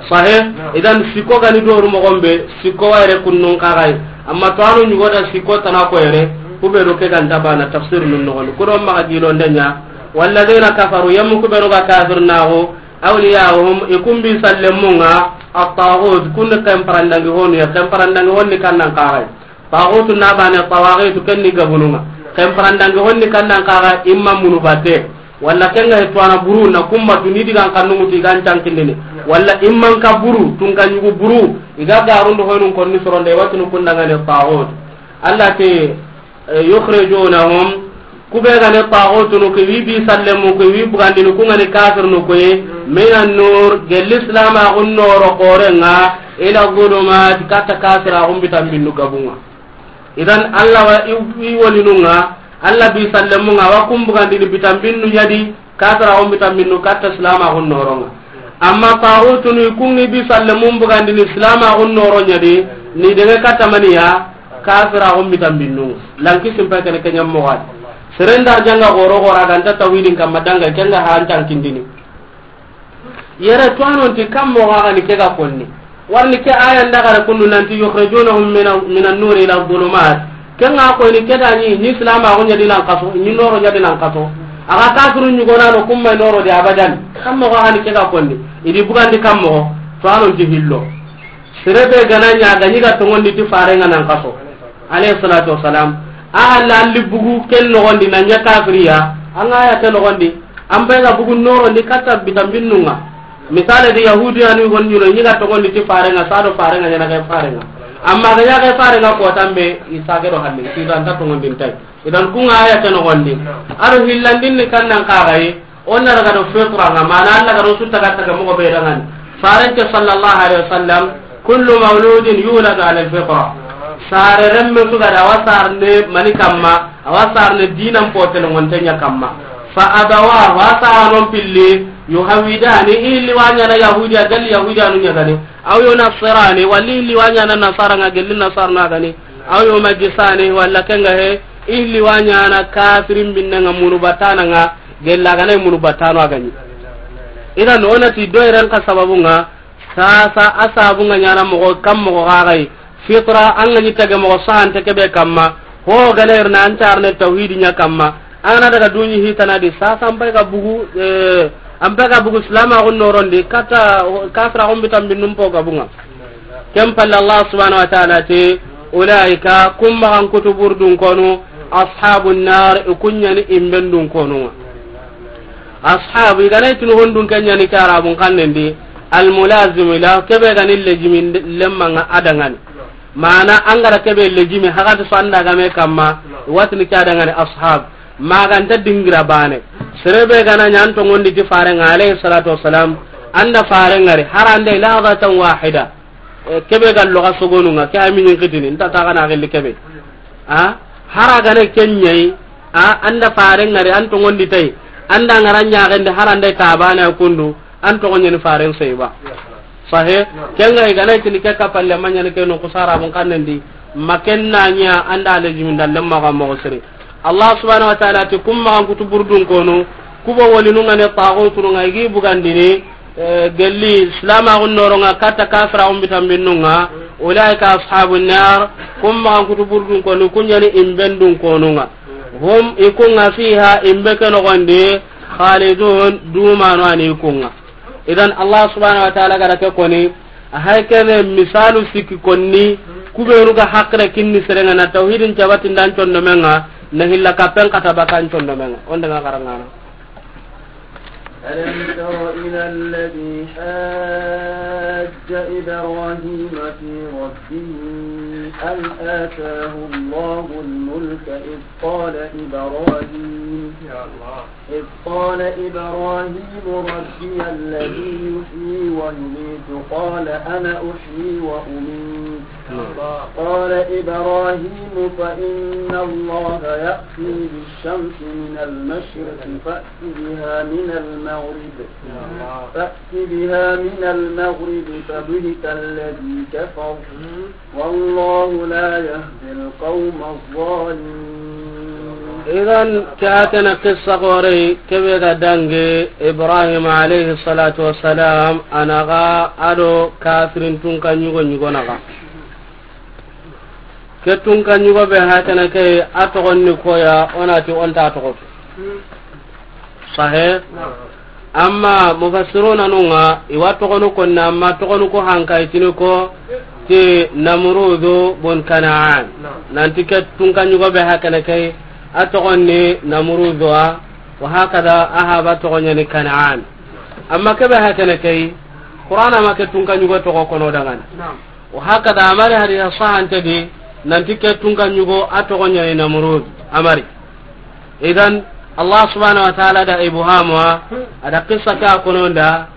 Sahe, idan sikko gani doru moxon be, sikko wayre kunnun kaxay. Amma to anu ɲugoda sikko tana ko yere, kube do ke ganta bana tafsir nun noxon. Kudo maxa gilonde ɲa, walladhina kafaru, yammu kube do ga kafir naxu, awliya'uhum, i kun bi sallemunga, at-taghut, kun ken parandangi honu ya, ken parandangi honni kannan kaxay. Taxutu na bane, tawaxitu ken ni gabununga. Ken parandangi honni kannan kaxa imma munu batte. Walla kenga he tuwana buru na kumma tu ni digan kannu mutu igan cankindini. Walla imman ka buru, tun ka ɲugu buru, iga garundu honun konni soronde watinu kundangane taxutu. Alla te, eh, yukhrijunahum, kube gane taxutunu ke wi bi sallemu ke wi bugandini kungani kafirnu koye, minan nur, gelli silamaxun noro xorenga, ila zulumat, katta kafiraxun bitan binnu gabunga. Idan Alla wa i, i wolinunga, Alla bi sallemunga, wa kumbugandini bitan binnu ɲadi, kafiraxun bitan binnu, katta silamaxun noronga. Amma taxutunu i kungi bi sallemun bugandini silamaxun noro ɲadi, ni dege katta maniya, kafiraxun bitan binnu. Lanki simpa kene kenyammoxadi. Serenda janga goro gora ganta tawhidin kamma danga kenga hantan kindini. Yere tuwanonti kam moxo a ga ni ke ga konni. Warni ke aya nda gara kundu nanti yukhrijunahum mina, minan nuri ila dhulumat. Ke nga ko ni ke da ni, ni silamaxu ɲadi nan kaso, ni noro ɲadi nan kaso. A ga kafiru ɲugonano kumma noro de abadan. Kam moxo a ga ni ke ga konni. Idi bugandi kam moxo. Tuwanonti hillo. Sere be gana ɲa ga ɲi ga tongondi ti farenga nan kaso. Alayhi salatu wassalam. A halla alli bugu ken noxondi na ɲa kafiriya. An ga ya ke noxondi, an be ga bugu norondi katta bitambinnun ŋa. Misale di, Yahudiyanu hon ɲi no, ɲi ga toxondi ti farenga, sa do farenga ɲana ke farenga. Amma ga ɲa ke farenga ko tambe, i sage do halle, i dan ta toxondi ntai. Idan kun ŋa aya ke noxondi. A do hillandin ni kannan kaxayi, o na daga do fitra ŋa, mana Allah ga do su taga taga moxo be dangani. Farente sallallahu alaihi wasallam, kullu mauludin yuladu ala alfitra. Sare remme su ga da, a wa sarne mani kamma, a wa sarne dinan potel ngonte ɲa kamma. Fa abawahu, a saranon pilli, yuhawidani, i hilli wa ɲana yahudiya, gal yahudiyanu ɲa gani. Aw yunasirani, walla i hilli wa ɲana nasara ŋa, gelli nasara na gani. Aw yumajjisani, walla kenga he, i hilli wa ɲana kafirin binne ŋa, munu batana ŋa, gella gana munu batano a gani. Idan o na ti do iran ka sababun ŋa, sasa a sababun ŋa ɲana moxo kam moxo gagai. Fitra an ga ɲi tage moxo sahante kebe kamma. Ho gana irna an tarne tawhidi ɲa kamma. An na daga duɲi hitana di, sasa an pay ga bugu, eh, an pay ga bugu silamaxun norondi, katta kafiraxun bitambinnun po ga bunga. Ken palle Allah subhanahu wa ta'ala ti, ulaika, kun maxan kutu burdun konu, ashabun nar, i kun ɲani imbendun konu ŋa. Ashabu, i gana itini hondun ken ɲani ke arabun kannen di, almulazimu la, kebe gani lejimi lemma ŋa a dangani. Mana an ga da kebe lejimi, hakati so an da game kamma, watini ke a dangani ashab. Maganta dingira bane. Serebe gana ɲa an tongondi ti farenga alayhi salatu wassalam, an da farenga ri, harande lahzatan wahida. Eh, kebe ga loga sogonun ŋa, ke a minin kitini, nta ta gana gilli kebe. A, hara gane ken ɲayi, a, an da farenga ri, an tongondi tay, an da ngara ɲaxendi, harande tabane kundu, an togo ɲani faren sey ba. Sahe, kenga i gana itini ke kapalle ma ɲani ke no kusara bun kannen di, ma ken na ɲa an da lejimi nda lemma ga moxo siri. Allah subhanahu wa ta'ala ti, kun maxan kutu burdun konu, kubo wolinun ŋa ne taxutunu ŋa i gi bugandini, eh, gelli silamaxun noronga katta kafiraxun bitambinnun ŋa, ulaika ashabun nar, kun maxan kutu burdun konu, kun ɲani imbendun konu ŋa. Hum, i kun ŋa fiha, imbe ke noxondi, khalidun, dumanu ani i kun ŋa. Idan Allah subhanahu wa ta'ala ga da ke koni, a hay kene misalu sikki konni, kubenu ga hakre kinni serenga na tawhidin cabatindan condomenga, na hilla kapen kata bakan condomenga. Onda nga karangana. ألم تر إلى الذي حاج إبراهيم في ربه أن آتاه الله الملك إذ قال إبراهيم إذ قال إبراهيم ربي الذي يحيي ويميت قال أنا أحيي وأميت قال إبراهيم فإن الله يأتي بالشمس من المشرق فأت بها من المغرب فأت بها من المغرب فبهت الذي كفر والله لا يهدي القوم الظالمين. Idan, ke a tana qissa gore, kebe ga dange Ibrahim alayhi salatu wassalam, a naxa a do kafirin tunka ɲugo ɲugo naxa. Ke tunka ɲugo be hakana ke, a toxon ni koya, o na ti o nta toxo. Sahe? Amma mufassiruna nunga, i wa toxonu konni, amma toxonu ko hanka itini ko ti Namrudu bun Kanaan. Nanti ke tunka ɲugo be hakana ke, a toxon ni Namrudu wa, wa hakada a haba toxon ɲani Kanaan. Amma ke be hakana ke, Qur'ana ma ke tunka ɲugo toxo kono dangana. Wa hakada a mari hadisa sahante di, nanti ke tunka ɲugo a toxo ɲani Namrud, a mari. Idan, Allah subhanahu wa ta'ala da ibhamu wa, a da qissa ke a kono nda,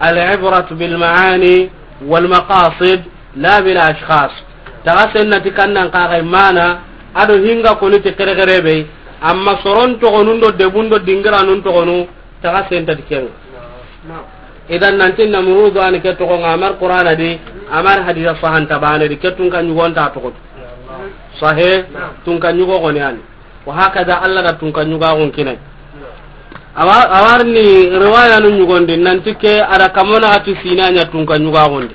al-ibratu bil ma'ani wal maqasid, la bil ashkhas. Taga senna ti kannan kaxay mana, a do hinga koni ti kere kere be, amma soron toxonun do debun do dingiranun toxonu, taga senta ti kenga. Idan nanti Namrudu ani ke toxo nga a mari Qur'ana di, a mari hadisa sahanta bane di, ke tunka ɲugo nta toxo. Sahe, tunka ɲugo goni ani. Wa hakada Allah da tunka ɲugaxun kinay. Awa, a wa ri ni riwayanu ɲugondi, nanti ke a da kamona ati sina ɲa tunka ɲugaxundi.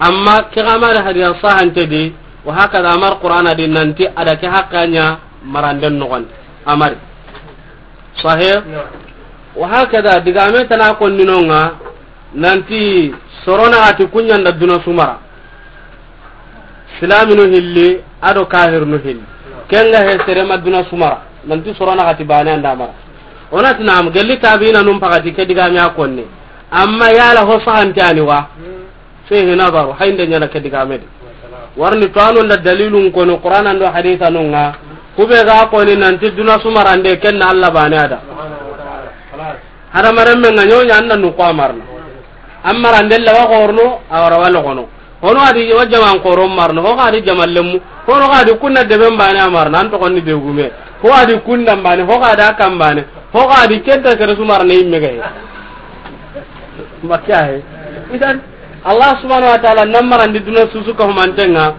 Amma ke xa mari hadisa sahante di, wa hakada a mari Qur'ana di, nanti a da ke hakka ɲa maranden noxondi. A mari. Sahe? Wa hakada, digame tana konni nonga, nanti sorona ati kuɲanda duna sumara. Silaminu hilli, a do kahirnu hilli. Ken ga he sere ma duna su mara, nanti soro naxati baane an da mara. O na ti naam, gelli tabiina nun paxati ke digame a konni. Amma yala ho sahante a ni wa? Fihi nazaru, hayinde ɲaana ke digame di. Warni to a nu nda dalilun koni Qur'ana ndo hadisa nun ŋa. Kube ga koni nanti duna su marande ken na Alla baane a da. Hadamaren me ŋa ɲo ɲa an na nu ko a marna. An marande lawa xorno, a wara wala xono. Hono a di wa jaman xoro marno, ho ga di jaman lemmu. Hono ga di kunna deben baane a marna, an to konni be gume. Ho a di kunna baane, ho ga da kan baane. Ho ga di kenta kere su marna yimme ga he. Makka he. Idan, Allah subhanahu wa ta'ala nan marandi duna su su ka humanten ŋa.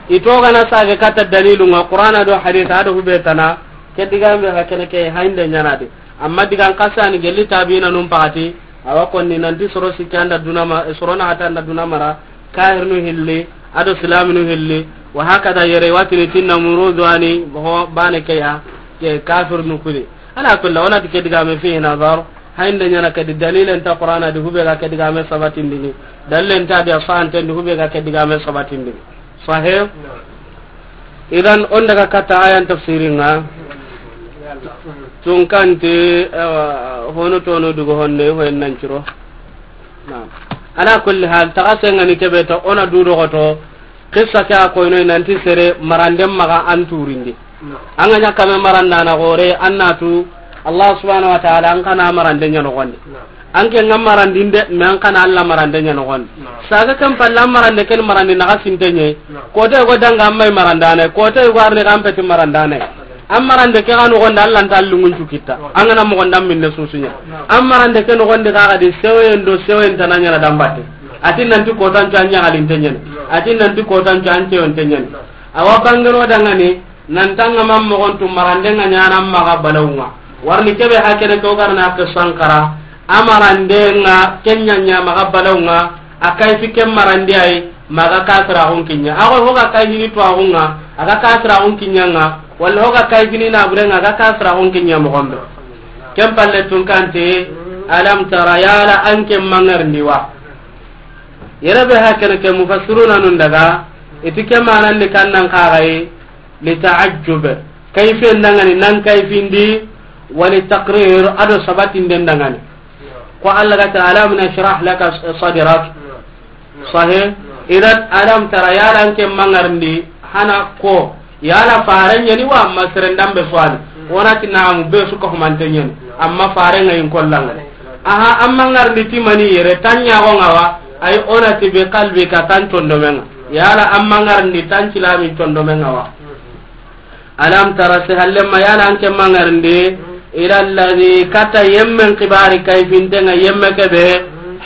I to gana sage kata dalilun ŋa, Qur'ana do hadisa do hube tana. Ke digame ga kene ke hayinde ɲaana di. Amma digan xasani gelli tabiina nun paxati, a wa konni nanti soro sikki an da duna ma, soro naxati an da duna mara, kahirinu hilli, a do silaminu hilli, wa hakada yere watini tinna murudu ani ho baane ke ya, ke kafirinu kuni. Ala kulli, o na ti ke digame fihi nazar, hayinde ɲaana ke di dalilen ta Qur'ana di hube ga ke digame sabatindini, dalilen ta di a sahanten di hube ga ke digame sabatindini. Sahih? Idan, on daga kata ayan tafsirin ŋa. Tunkanti, eh, hono tono dugo honne, ho en nan ciro. Naam. Ala kulli hal, taga sengani kebe to, o na du dogoto, qissa ke a koyno nanti sere maranden maxa an turindi. An ga ɲa kame marandana gore, an na tu, Allah subhanahu wa ta'ala, an kana marande ɲa noxondi. An ke ŋa marandinde, mais an kana Alla marande ɲa noxondi. Saga kan palla an marande ken marandi naxa sintenye. Kote go danga an may marandane, kote go arne kan peti marandane. An marande ke ga noxondi Alla nta lungun cukitta. An gana moxonda minne susunya. An marande ke noxondi ga ga di sewen do sewen tana ɲaana dambate. Ati nanti kotan cu an ɲaxalintenyen. Ati nanti kotan cu an cewontenyen. Awa bangero dangani, nan tanga man moxon tu marande ŋa ɲaana maxa balawunga. Warni kebe hakene ke o garna ke sankara. A marande ŋa kenya ɲa maxa balawunga. A kayfi ken marandi ay maxa kasra xun kinya. A go hoga kayfini to axunga, a ga kasra xun kinya ŋa. Walla hoga kayfini na burenga, a ga kasra xun kinya moxon be. Ken palle tunkanti, alam tara yala an ke mangarndi wa. Yere be hakene ke mufassiruna nun daga, iti ke manandi kannan kaxayi, لتعجب, kayfiyen dangani, nan kayfindi, ولتقرير, a do sabatinden dangani. Ko Allah ga ta, "Alam nashrah laka sadrak." Sahih. Idan, alam tara, yala an ke mangarndi, hana ko, yala faren ɲa ni wa, amma seren dambe swani. Wona ti naamu, be su ka humante ɲa ni. Amma faren ŋa in kollanga. Aha, amma ngarndi ti mani yere, tan ɲa go ŋa wa, ay ona ti bi qalbika, tan condomenga. Yala amma ngarndi tan cilami condomenga wa. Alam tara, si hallemma yala an ke mangarndi, ila alladhi, kata yemmen kibari kayfintenga yemme kebe,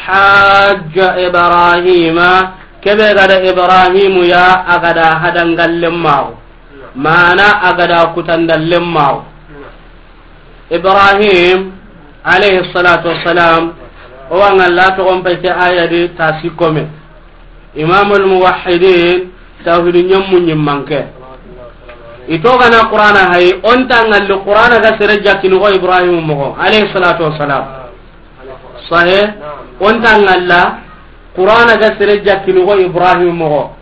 hajja Ibrahima, kebe gada Ibrahimu ya, a gada hadangallen maxu. Mana a gada kutandallen maxu. Ibrahim alayhi salatu wassalam, o wa ŋalla toxon pay ke aya di ta sikkome. Imamul muwahhidin, tawhidu ɲammu ɲimmanke. I to gana Qur'ana hayi, o nta ŋalli Qur'ana ga sere jakkini ko Ibrahim moxo, alayhi salatu wassalam. Sahe, o nta ŋalla Qur'ana ga sere jakkini ko Ibrahim moxo.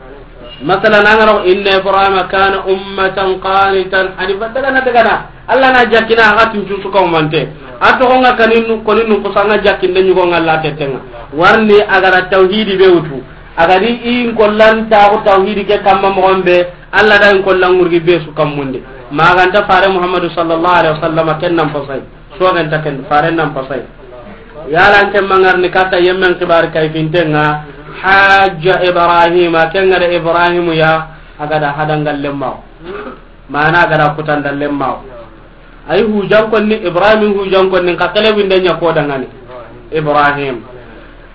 Masalan, an ga na ko, "Inna Ibrahima kana ummatan qanitan hanifan," daga na, daga na. Allah na jakkina, a ga tun cu su ka umante. A toxo ŋa koni nu, koni nu kusa ŋa jakkinde ɲugo ŋalla tetenga. Warni a ga ra tawhidi be wutu. A ga di i n kollan ta ko tawhidi ke kamma moxon be, Allah da i n kollan ŋurgi be su kammunde. Maganta fare Muhammadu sallallahu alaihi wasallam ken nan pasai. Soxen ta ken, faren nan pasai. Yala an ke mangarndi kata yemmen kibari kayfintenga, hajja Ibrahima, ken ga da Ibrahimu ya, a gada hadangallen maxu. Mana a gada kutandallen maxu. Ay hujankonni, Ibrahim hujankonni, ka kelebinde ɲa ko dangani. Ibrahim.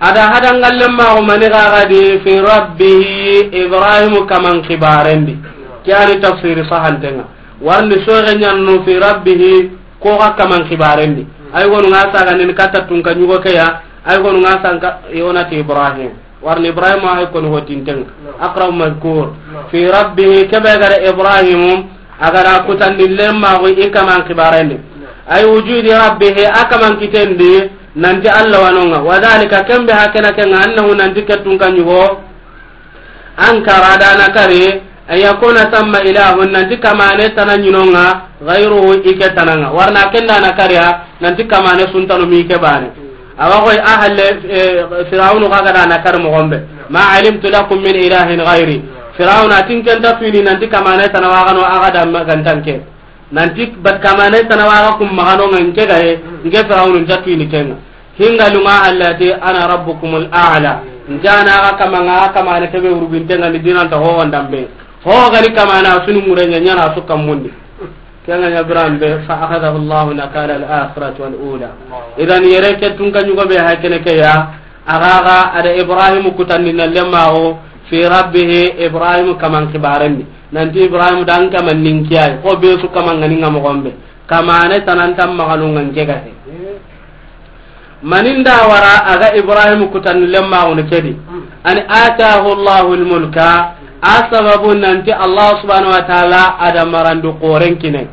A da hadangallen maxu mani ga gadi fi rabbihi, Ibrahimu kaman kibarendi. Ke ani tafsiri sahantenga. Warni soxe ɲannu fi rabbihi, ko ga kaman kibarendi. Ay gonu ŋa saga nin kata tunka ɲugo ke ya, ay gonu ŋa sanka yonati Ibrahim. Warni Ibrahim ay koni hotinten. Aqrab mazkur. Fi rabbihi, kebe gare Ibrahim, a gara kutandi lemma go i kaman kibarendi. Ay wujudi rabbihi, a kaman kitendi, nanti Allah wanonga. Wa dhalika, kembe hakena kenga, annahu nanti ketun ka ɲugo. Ankara dana kari, أن يكون ثم إله, nanti kamane tana ɲi no ŋa, غيره, i ke tana ŋa. Warna kenda na kariya, nanti kamane su ntanu mi ke bane. Awa koy a halle, eh, Firawunu xa ga da na kari moxo be. ما علمت لكم من إله غيري. Firawuna a ti n ke nta tuini nanti kamane tana wa ga no a ga da ma gantanke. Nanti bat kamane tana wa ga kum maxa no ŋa n ke ga he, n ke Firawunu nta tuini ke ŋa. Hinga lunga Allah ti, أنا ربكم الأعلى. N ke na ga kama ŋa, kamane ke be wuruginte ŋa ni dinan ta ho wandambe. Ho ga ni kamana sunu mure ɲa ɲa na su kamundi. Ke ŋa ɲa biran be, فأخذه الله نكال الآخرة والأولى. Idan yere ke tunka ɲugo be ha kene ke ya, a ga ga a da Ibrahim kutandi na lemma o, في ربه, Ibrahim kaman kibarendi. Nanti Ibrahim dan kaman nin kiyai, ko be su kaman ŋa ni ŋa moxo be. Kamane tana nta maxa no ŋa n ke ga he. Maninda wara a ga Ibrahim kutan lemma woni kedi. Ani آتاه الله الملك, a sababu nanti Allah subhanahu wa ta'ala a da marandu xoren kine.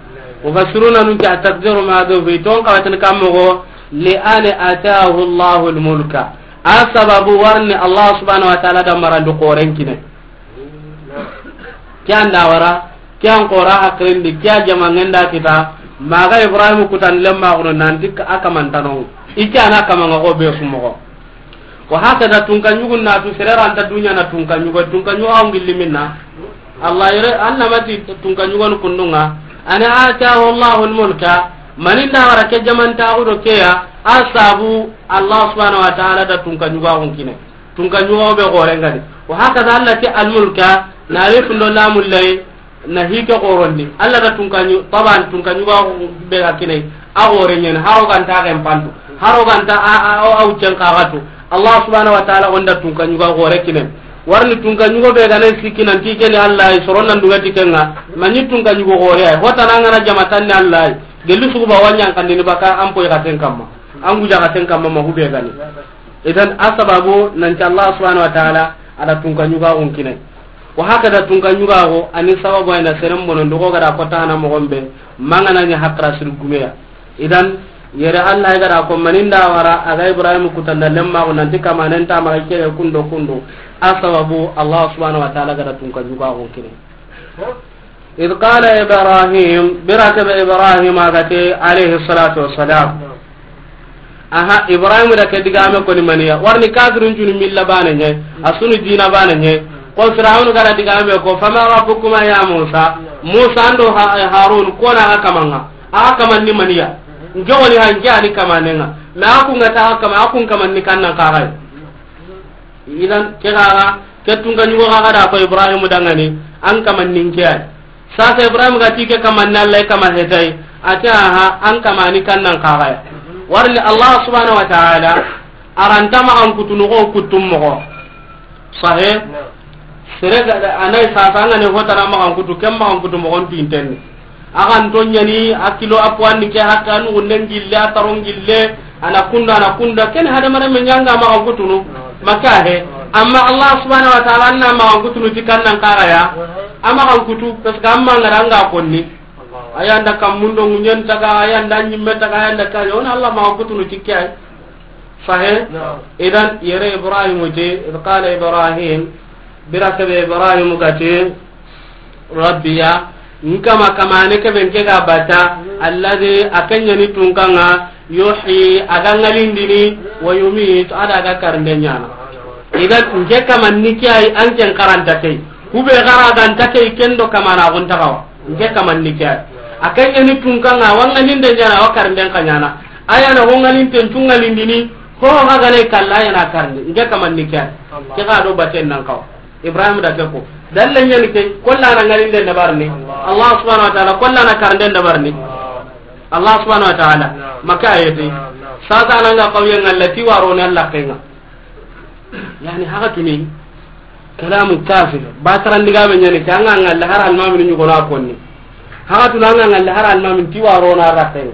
Mufassiruna nun ti a takdiru ma do fi ton kawatin kammo go, لأن آتاه الله الملك. A sababu warni Allah subhanahu wa ta'ala da marandu xoren kine. Ke an da wara, ke an xora hakilindi, ke a jama ŋa nda kita, maxa Ibrahim kutan lemma gono nanti a kaman tano. I ke na kama ŋa go be su moxo. Wa hakada tunka ɲugun na tu sere ra nta dunya na tunka ɲugo, tunka ɲugo a wa n gilli minna. Allah yere, Allah ma ti tunka ɲugo nu kundu ŋa. Ani آتاه الله الملك, maninda wara ke jaman ta gudo ke ya, a sabu Allah subhanahu wa ta'ala da tunka ɲugo a wa n kine. Tunka ɲugo be xoren ŋa ni. Wa hakada Allah ti الملك, na alifun do lamun lay, na hi ke xorondi. Allah da tunka ɲu-, taban tunka ɲugo be ga kine, a xoren ɲa ni, haro ga nta ga n pantu. Haro ga nta a, a, a, a wuccen kaxatu. Allah subhanahu wa ta'ala o nda tunka ɲugo xore kine. Warni tunka ɲugo be ga na sikki nanti ke ni Allah, soron nan duga ti ke ŋa. Maɲi tunka ɲugo xore ay. Hota na ŋa na jama tan ni Allah. Gelli sugu ba wa ɲa n kandini baka an poy ga ten kamma. An guja ga ten kamma ma hu be ga ni. Idan, a sababu nanti Allah subhanahu wa ta'ala a da tunka ɲugo a wa n kine. Wa hakada tunka ɲugo a go, a ni sababu ay na seren bono ndogo ga da ko tana moxo be, maxa na ɲa hakra sir gumeya. Idan, yere Allah ga da ko maninda wara a ga Ibrahim kutanda lemma go nanti kamanen ta maxa ke kundo kundo. A sababu Allah subhanahu wa ta'ala ga da tunka ɲugo a wa n kine. إذ قال إبراهيم, bira ke be Ibrahim a ga ti, عليه الصلاة والسلام. Aha, Ibrahim da ke digame koni maniya. Warni kafirun junu milla bana ɲe, a sunu dina bana ɲe. Ko Firawun ga da digame ko, فمن ربكما يا موسى. Musa ndo Ha-, Harun, ko na a ga kaman ŋa. A ga kaman ni maniya. N ke woni ha n ke a ni kamanen ŋa. Ma a kun ga ta a ga kama, a kun kaman ni kannan kaxay. Idan, ke ga ga, ke tunka ɲugo ga ga da ko Ibrahim dangani, an kaman nin ke ay. Sasa Ibrahim ga ti ke kaman ni Allah kama hetay, a ti aha, an kamani kannan kaxaya. Warni Allah subhanahu wa ta'ala, a ra nta maxan kutunu xo kutum moxo. Sahe? Sere ga, a na yi sasa an ga ne hotana maxan kutu, ken maxan kutu moxon tu intenni. A ga nto ɲani, a kilo a poids ni ke, hatta a nugunden gille, a taron gille, a na kunda, a na kunda, ken hadamaren me ɲa nga maxan kutunu, maka he. Amma Allah subhanahu wa ta'ala, an na maxan kutunu ti kannan kaxaya, a maxan kutu, parce que an ma ngara nga konni. A ya nda kammundo ŋuɲen taga, a ya nda ɲimme taga, a ya nda kaɲa, o na Allah maxan kutunu ti ke ay. Sahe? Idan, yere Ibrahim ti, إذ قال إبراهيم, bira ke be Ibrahim ga ti, Rabbiya, n kama kamane ke be n ke ga bata, الذي, a ke ɲa ni tunka ŋa, يحيي, a ga ŋalindini, ويميت, a da ga karinde ɲana. Idan, n ke kaman ni ke ay, an ken karanta ke. Ku be ga ra ganta ke, ken do kamana gon ta xawa. N ke kaman ni ke ay. A ke ɲa ni tunka ŋa, wa ŋalinde ɲana, wa karinden xa ɲana. A ya na ho ŋalinten cu ŋalindini, ho ho ga ga ne kalla, a ya na karindi. N ke kaman ni ke ay. Ke ga do baten nan xawa. Ibrahim da ke ko. Dalle ɲani ke, kolla na ŋalinden dabarini. Allah subhanahu wa ta'ala, kolla na karinden dabarini. Allah subhanahu wa ta'ala. Maka ayeti. Sasa nan ga qawye ngalla ti waro ne Allah kenga. Yani, haka tuni, kalamu kafir. Ba tarandiga be ɲani ke, an ga ngalla har almamin ɲugo na konni. Haka tuna an ga ngalla har almamin ti waro na rakke.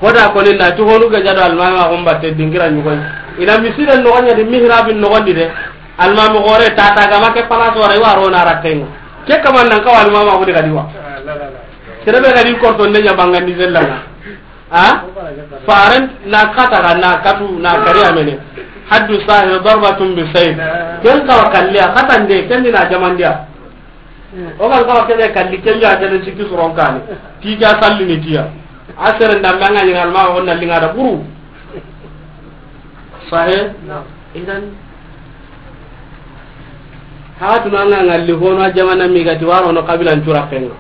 Hoda koni na ti honu ga jado almami a gomba te dingira ɲugo. Ina misiden no nya di mihrabin no gondi de. Almami gore tata ga make palaso wara waro na rakke. Ke kaman nan ka almami a godi ga diwa. Sere be ga di korto nde ɲa bangandi zellanga. Ha? Faren na kata ga na katu na kari amene. Haddu sahir darbatun bisayf. Ken ka wa kalliya kata nde ken na jamandiya. O ga n kawa kebe kalli, ken ya kebe sikki soron kane. Ti ga salli ni tiya. A seren da manga ni alma o na linga da buru. Sahe? Naam. Idan, hatu na nga ngalli hono jamana mi gati waro no kabilan cura kenga.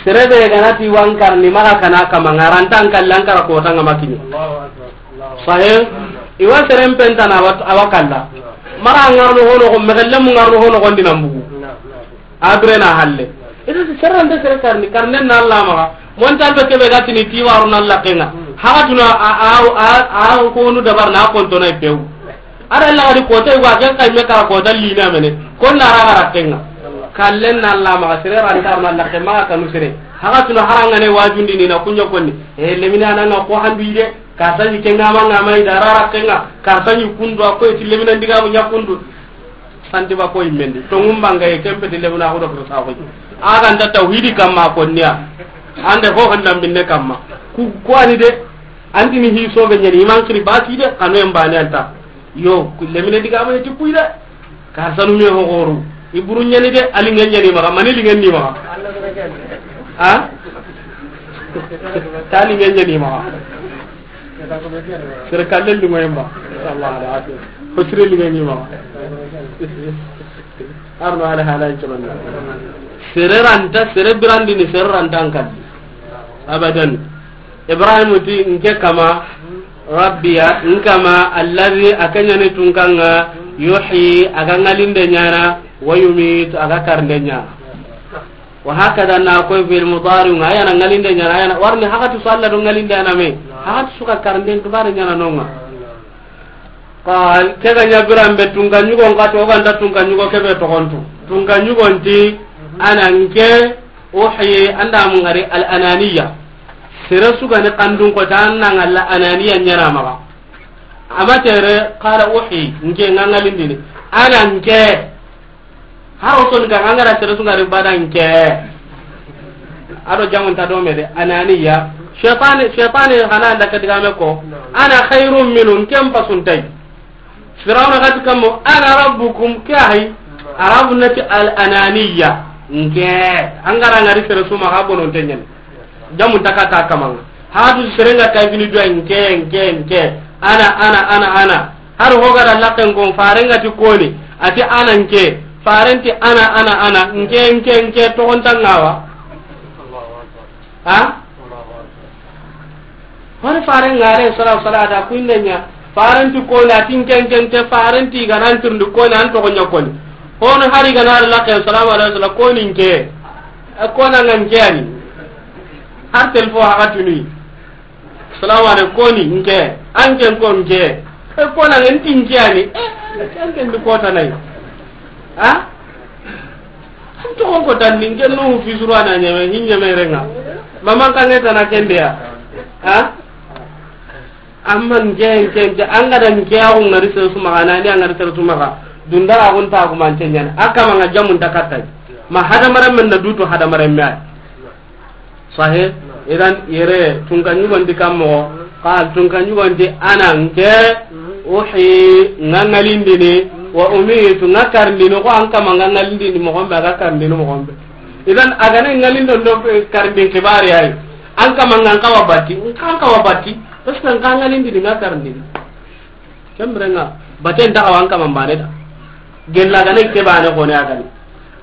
Sere be ga na ti wankar ni maga kana kama ngarantan kallan kara ko tanga makini. Allahu Akbar. Allahu Akbar. Sahe? Naam. Iwa seren penta na wat-, awakalla. Naam. Mara ngarno hono ko, megelle mu ngarno hono ko ndina mbugu. Naam, naam. A bire na halle. Ita si serran de sere karni, karnen na Allah maga. Montal be kebe gatini ti waru na Allah kenga. Hagatuna a, a, a, a konu dabar na konto na pew. Ada Allah gadi kota yugo a ken kay me kara kota lina mene. Kon na raga ra kenga. Kallen na Allah maga, sere ran tar na Allah ke maga kanu sere. Hagatuna haranga ne wajundi ni na kunya konni. E lemina na nga ko handu ide. Karta ni kenga ma nga ma ida rara kenga. Karta ni kundu a ko ti lemina ndiga mu nya kundu. Santi ba ko immendi. To ngumba nga ye kempe ti lemina ko do sa ko. Aga nta tawhidi kamma ko niya. Ande ho handa binne kamma. Ku ko ani de. Anti ni hi so be nyani iman kiri basi de kanu en bani anta. Yo, ku lemine diga ma ti kuy de. Ka sanu me ho goru. Iburu nyani de, ali ngen nyani maga, mani li ngen ni maga. Ha? Tali ngen nyani maga. Sere kallen di ngoyemba. Sallallahu alaihi wasallam. Hosire li ngen ni maga. Arno ala hala in tolon. Sere ranta, sere birandi ni sere ranta an kalli. Abadan. Ibrahim ti nke kama, Rabbiya, nkama, alladhi, a kenyani tunkanga, yuhyi, a ga ngalinde nyana, wa yumit, a ga karnde nyana. Wa hakada na koy fil mudari, nga yana ngalinde nyana, yana warni hakati so Allah do ngalinde ana me. Hakati suka karnde dubare nyana nonga. Qal, ke ga ɲa biran be tunka ɲugon ka to, o ga nta tunka ɲugo ke be toxontu. Tunka ɲugon ti, ana nke, uhyi, anda mun gari al ananiya. Sere su ga ni kandun ko ta, an na ŋalla ananiya ɲana maxa. Ama tere, qala uhyi, nke ŋa ŋalindini. Ana nke. Har o soni kan, an ga ra sere su ga ri bada nke. Ado jamun ta do me de, ananiya. Shaytani, shaytani hana anda ke digame ko. Ana khairun minhu, ken pasun tay. Firawna gati kammo, ana rabbukum, ke ahi. Arabu nati al ananiya. Nke. An ga ra ŋari sere su maxa bonon tenyen. Jamun ta kata kamanga. Hadu serenga kay fini do nke, nke, nke. Ana, ana, ana, ana. Har hogara lakken kon, farenga ti koni, ati ana nke, farenti ana, ana, ana, nke, nke, nke, toxonta ŋawa. Ha? Honi farenga alayhi salatu wassalam, ata kuinde ɲa, farenti koni, ati nke, nke, nke, farenti ganan turndi koni, an toxo ɲa koni. Hono hari gana lakken, salamu alayhi wasallam, koni nke. E kona nga nke ani. Har telefo haga tuni. Salamu alaikum, koni nke. Anke ko nke. E kona nge nti nke ani. E, anke ndi kota nay. Ha? Anto ko ko tan ni nke no fi suru ana nyame, hin nyame renga. Maman kange tana kende ya. Ha? Amma nke, nke, nke, an ga da nke ya ko ŋari sere su maxa, na ni an ŋari sere su maxa. Dundara ko nta ko man tenyan. Aka ma nga jamun ta katai. Ma hadamaren men na duto hadamaren me ay. Sahe, idan yere, tunka ɲugon di kammo, qal tunka ɲugon di ana nke, uhyi, nga ŋalindini, wa umitu, nga karindini, ko an kama nga ŋalindini moxon be, a ga karindini moxon be. Idan, a ga na ŋalindon do, eh, karindin kibari ay. An kama nga nkawa batti, nka nkawa batti, parce que nka ŋalindini, nga karindini. Kemrenga, baten ta awan kama mbane da. Gella gane ke bane ko ne agani.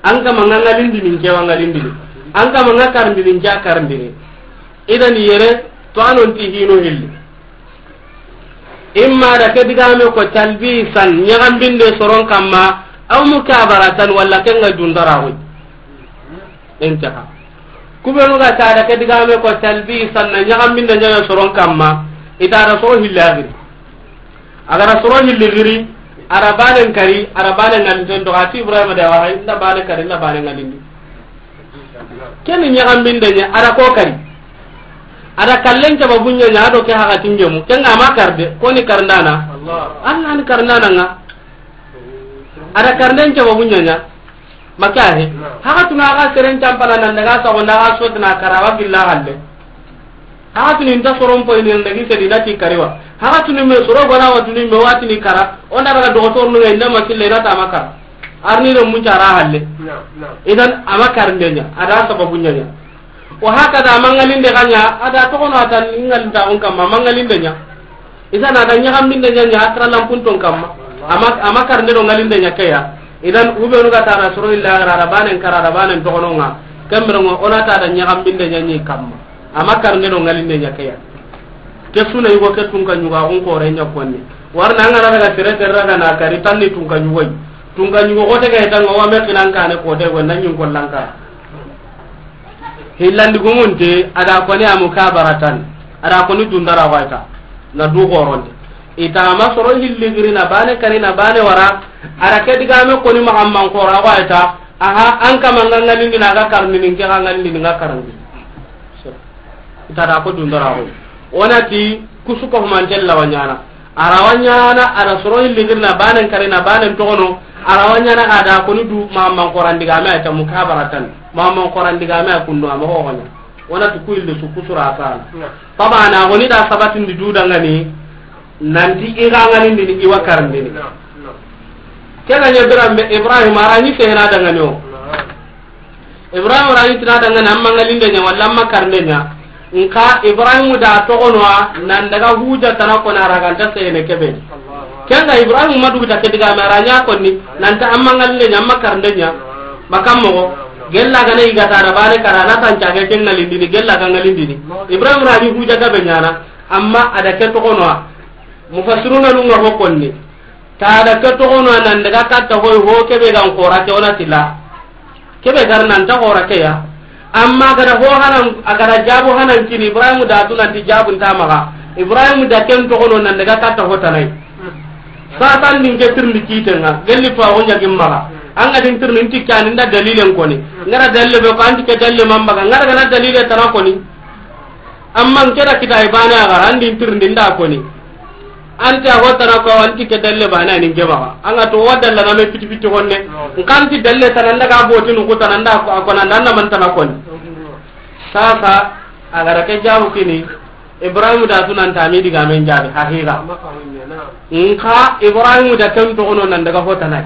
An kama nga ŋalindini nke wa ŋalindini. An kama nga karindini nke a karindini. Idan yere, to anon ti hino hilli. Imma da ke digame ko talbisan, ɲagambinde soron kamma, aw mukabaratan, walla ke nga dundara hoy. Intaha. Kubenu ga ta da ke digame ko talbisan, na ɲagambinde ɲaga soron kamma, ita da soro hilli a giri. A ga ra soro hilli giri, a ra bane nkari, a ra bane ŋalindin to, ati Ibrahima da wa hay, nda bane kari, nda bane ŋalindi. Keni ɲagambinde ɲa, a ra ko kari. A ra kallen caba bunya ɲa, a do ke haga tingemu, ke nga ma karde, koni karndana. Allah. Allah ni karndana nga. A ra karnden caba bunya ɲa. Maka he. Naam. Haga tuna ga seren campana nan daga sa wanda ga sotna kara wa gilla halle. Haga tuni nta soron poy ni nan dagi sedi na ti kariwa. Haga tuni me soro gona wa tuni me wa tini kara. Onda daga dogotor nu ngai na ma kille na ta makara. Arni do mun cara halle. Idan ama karinde ɲa, ada sababu ɲa ɲa. Wa hakada mangalinde kanya, ada toxono atan ngalinde on kamma mangalinde ɲa. Idan ada ɲagambinde ɲa ɲa akra lampunton kamma. Ama, ama karinde do ngalinde ɲa keya. Idan ubenu ga tara soro illa gara da banen kara da banen toxono nga. Kemberongo ona ta da ɲagambinde ɲa ɲi kamma. Ama karinde do ngalinde ɲa keya. Ke suna yugo ke tunka ɲuga on kore ɲa konni. Warna ngana daga sere terra ga na kari tanni tunka ɲugoy. Tunka ɲugo ko te ga tanga wa me kinan kane ko te go nan ɲin kollanka. Hillandi gumunte ada koni amu kabaratan. Ada koni dundara waita. Na du goronde. Ita ama soro hilli giri na bane kari na bane wara. Ada ke digame koni magamman kora waita. Aha, an kama nga ngalindi na ga karni nin ke ga ngalindi nga karni. Ita da ko dundara ko. Onati kusu ko mantel la wanyana. Ara wanyana, ara soro hilli giri na banen kari na banen toxono. Ara wanyana ada koni du magamman koran digame ta mukabaratan. Magamman koran digame kundo ama ho wanya. Onati ku hilli su kusura sana. Tabana woni da sabatindi du dangani. Nanti i ga ngalindini i wa karandini. Kena ɲa biranbe Ibrahim arani sehena dangani o. Ibrahim arani tina dangani amma ngalinde ɲa walla amma karnde ɲa. Nka Ibrahim da toxonoa nan daga huja tana kona raganta sehene kebe. Kenga Ibrahim madugu ta ke digame aranya konni nanta amma ngalinde ɲa amma karnde ɲa. Bakam mogo gella gana igata da bane kara na tan cage ken ngalindini gella ga ngalindini. Ibrahim rani huja gabe ɲana. Amma ada ke toxonoa. Mufassiruna nunga ho konni. Tada ke toxono nan daga katta hoy ho kebe gan xora ke ona tila. Kebe gar nan ta xora ke ya. Amma gada ho hanan, agada jabu hanan kini Ibrahim da tu nanti jabu nta maga. Ibrahim da ken toxono nan daga katta ho tanai. Satan din ke tirndi kitenga, gelli fa ho ɲagim maga. Anga din tirndi nti kani nda dalilen koni. Ngara dalile be ko anti ke dalile mambaga, ngara gana dalile tana koni. Amma n keda kita i bane a gara, an din tirindi nda koni. Anti a hotana ko, anti ke dalle bane a nin ke maxa. An ga to wa dalla na me piti piti honne. N kanti dalle tana nda ga boti nu kutana nda ko, a kona nda na man tana koni. Sasa, a gara ke jabu kini, Ibrahim da sunan ta mi diga men jabi, haqiqa. Nka Ibrahim da kan to ono nan daga hotana.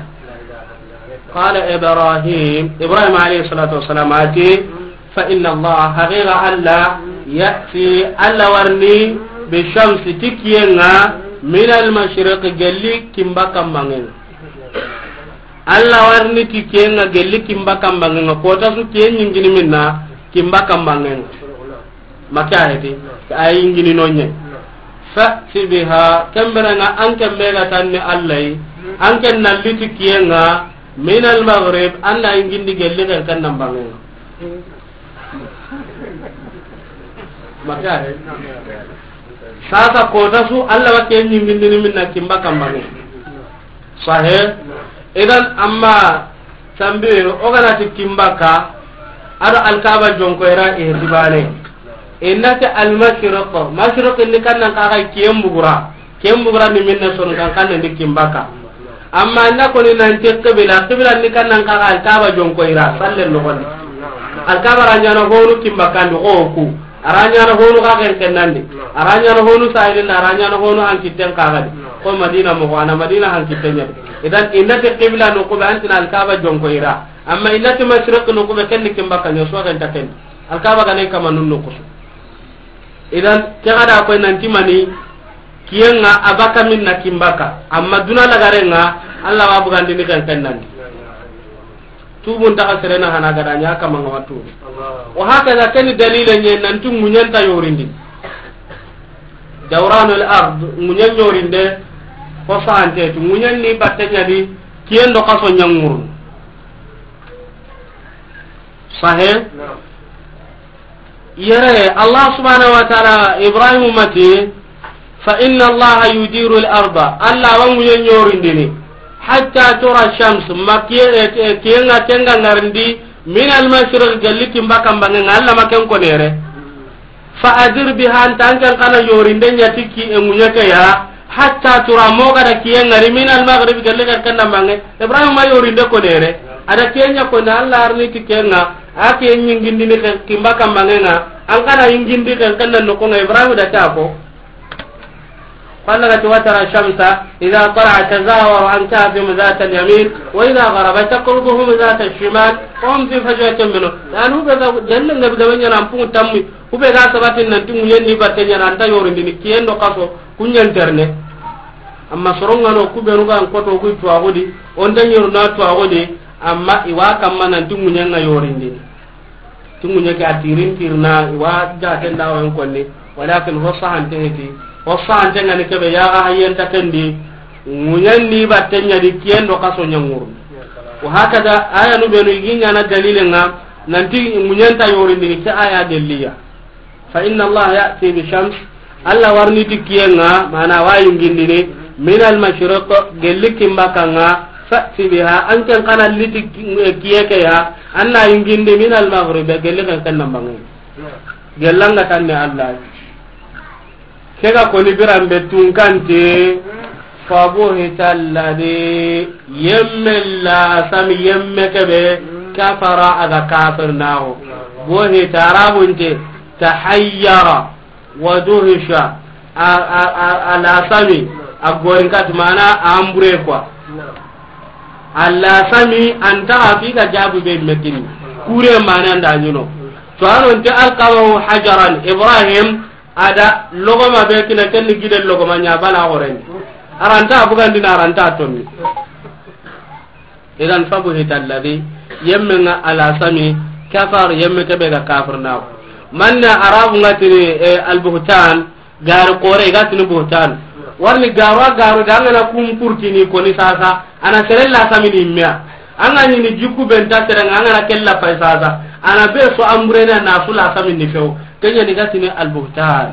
Qala Ibrahim, Ibrahim alayhi salatu wassalam ati, فإن الله، حقيقة الله، يأتي، الله ورني، بالشمس، تكينا، من المشرق، قال لي كمبا كمبانغنا. الله ورني تكينا، قال لي كمبا كمبانغنا. كوتا سو كين ينجني منا، كمبا كمبانغنا. Maka heti, ay yinjini no ɲe. فأت بها، kemberenga an kembe ga tanni Allah yi, an ken na liti kiyenga, من المغرب، an na yingindi gelli ken kan nan bangenga. Maka he. Sasa kota su Allah wa ken yingindini minna kimba kambange. Sahe. Idan amma tambi o gana ti kimbaka ado Alkaba jonko era e dibane. Innati almashriq, mashriq ni kannan kaga kiyen bugura. Kiyen bugura ni minna son kan kan ndi kimbaka. Amma inna koni nanti qibla, qibla ni kannan kaga Alkaba jonko ira, salle no gon. Alkaba ranyana honu kimbaka ndi ko ku. Aranyana honu ka ken kenandi. Aranyana honu sayidin, aranyana honu hankiten kagadi. Ko Madina mo ana Madina hankiten nya. Idan innati qibla no ko be antina Alkaba jonko ira. Amma innati mashriq no ko be ken kimbaka nyo so ken taken. Alkaba gane kama nun no kusu. Idan ke gada ko nanti mani kiyenga abaka minna kimbaka. Amma duna lagarenga Allah wa bugandini ken kenandi. Tubun ta serena hana gada nya kama ngama tubu. Wa hakaza keni dalile nye nanti munyanta yorindi. Dawranul ard, munyan yorinde ko sante tu munyan ni batte nyadi kiyendo kaso nyangurun. Sahe? Yere Allah subhanahu wa ta'ala Ibrahim mati, فإن الله يدير الأرض، Allah wa munyan yorindini. حتى ترى الشمس، ma kiye, eh, eh, kiyenga kenga ngarindi, من المشرق، gelli kimba kambange nga Allah ma ken konere. فأدر بها، an tan kan kana yorinde nyati ki e munyake ya. حتى ترى، mo gada kiyenga ri من المغرب، gelli kan kana mange. Ibrahim ma yorinde konere. Ada kiyenya kone Allah arni ti kenga. A kiyen nyingindini ken kimba kambange nga. An kana yingindi ken kana no ko nga Ibrahim da ta ko. Ko Alla ga ti, وترى الشمس إذا طلعت تزاور عن كهفهم ذات اليمين وإذا غربت تقرضهم ذات الشمال وهم في فجوة منه. Yaani, ku be ga, jalle nga be ga ɲaana, an pungu tammi, ku be ga sabati nan ti ŋuɲen ni batte ɲaana, an nta yorindini, kiyen do kaso, ku ɲa n terne. Amma soron ŋa no, ku be nu ga an koto, ku tuwaxu di, o nta ɲoru na tuwaxu di, amma i wa kamma nan ti ŋuɲen ŋa yorindini. Ti ŋuɲe ke a tirin tirna, i wa jaten da wa n konni, walakin ho sahante heti, ho sahante ŋa ni kebe, ya ga hayenta kendi, ŋuɲen ni batte ɲa di, kiyen do kaso ɲa ŋuru. Wa hakada, aya nu be nu i gi ɲaana dalile ŋa, nan ti ŋuɲen nta yorindini, ke aya gelli ya. فإن الله يأتي بالشمس Alla wa ri ni ti kiyen ŋa, mana wa yingindini, من المشرق, gelli kinbakka ŋa, فأت بها, an ken xa na li ti ki-, kiye ke ya, an na yingindi, من المغرب, gelli ken ken nan banŋe. Gella ŋa tanne Alla. Ke ga koni biran be tunkante, فبهت الذي, yemme la sami, yemme kebe, كفر, a ga kafir naxo. Buhita, Arabunte, تحير. Wa duhisha, a, a, a, a lasami, a gorin kat, mana a ambure quoi. A lasami, an ta fi ga jabu be mekin. Kure mana nda ɲuno. To, a ro nte ألقمه حجرا, Ibrahim, a da logoma be kina, ken ni gide logoma ɲa bala goren. A ra nta bugandini, a ra nta tonni. Idan, فبهت الذي, yemme ŋa a lasami, كفر, yemme kebe ga kafir naxo. Manne Arabu ŋa tini, eh, albuhtan, gari kore, i ga tini buhtan. Wa ri ni garo, a garo da, an ga na kun purtini koni sasa, a na sere lasami ni mea. An ga ɲi ni jikku be nta sere ŋa, an ga na kella pay sasa, a na be so ambure na, na su lasami ni few. Ken ɲa ni ga tini albuhtan.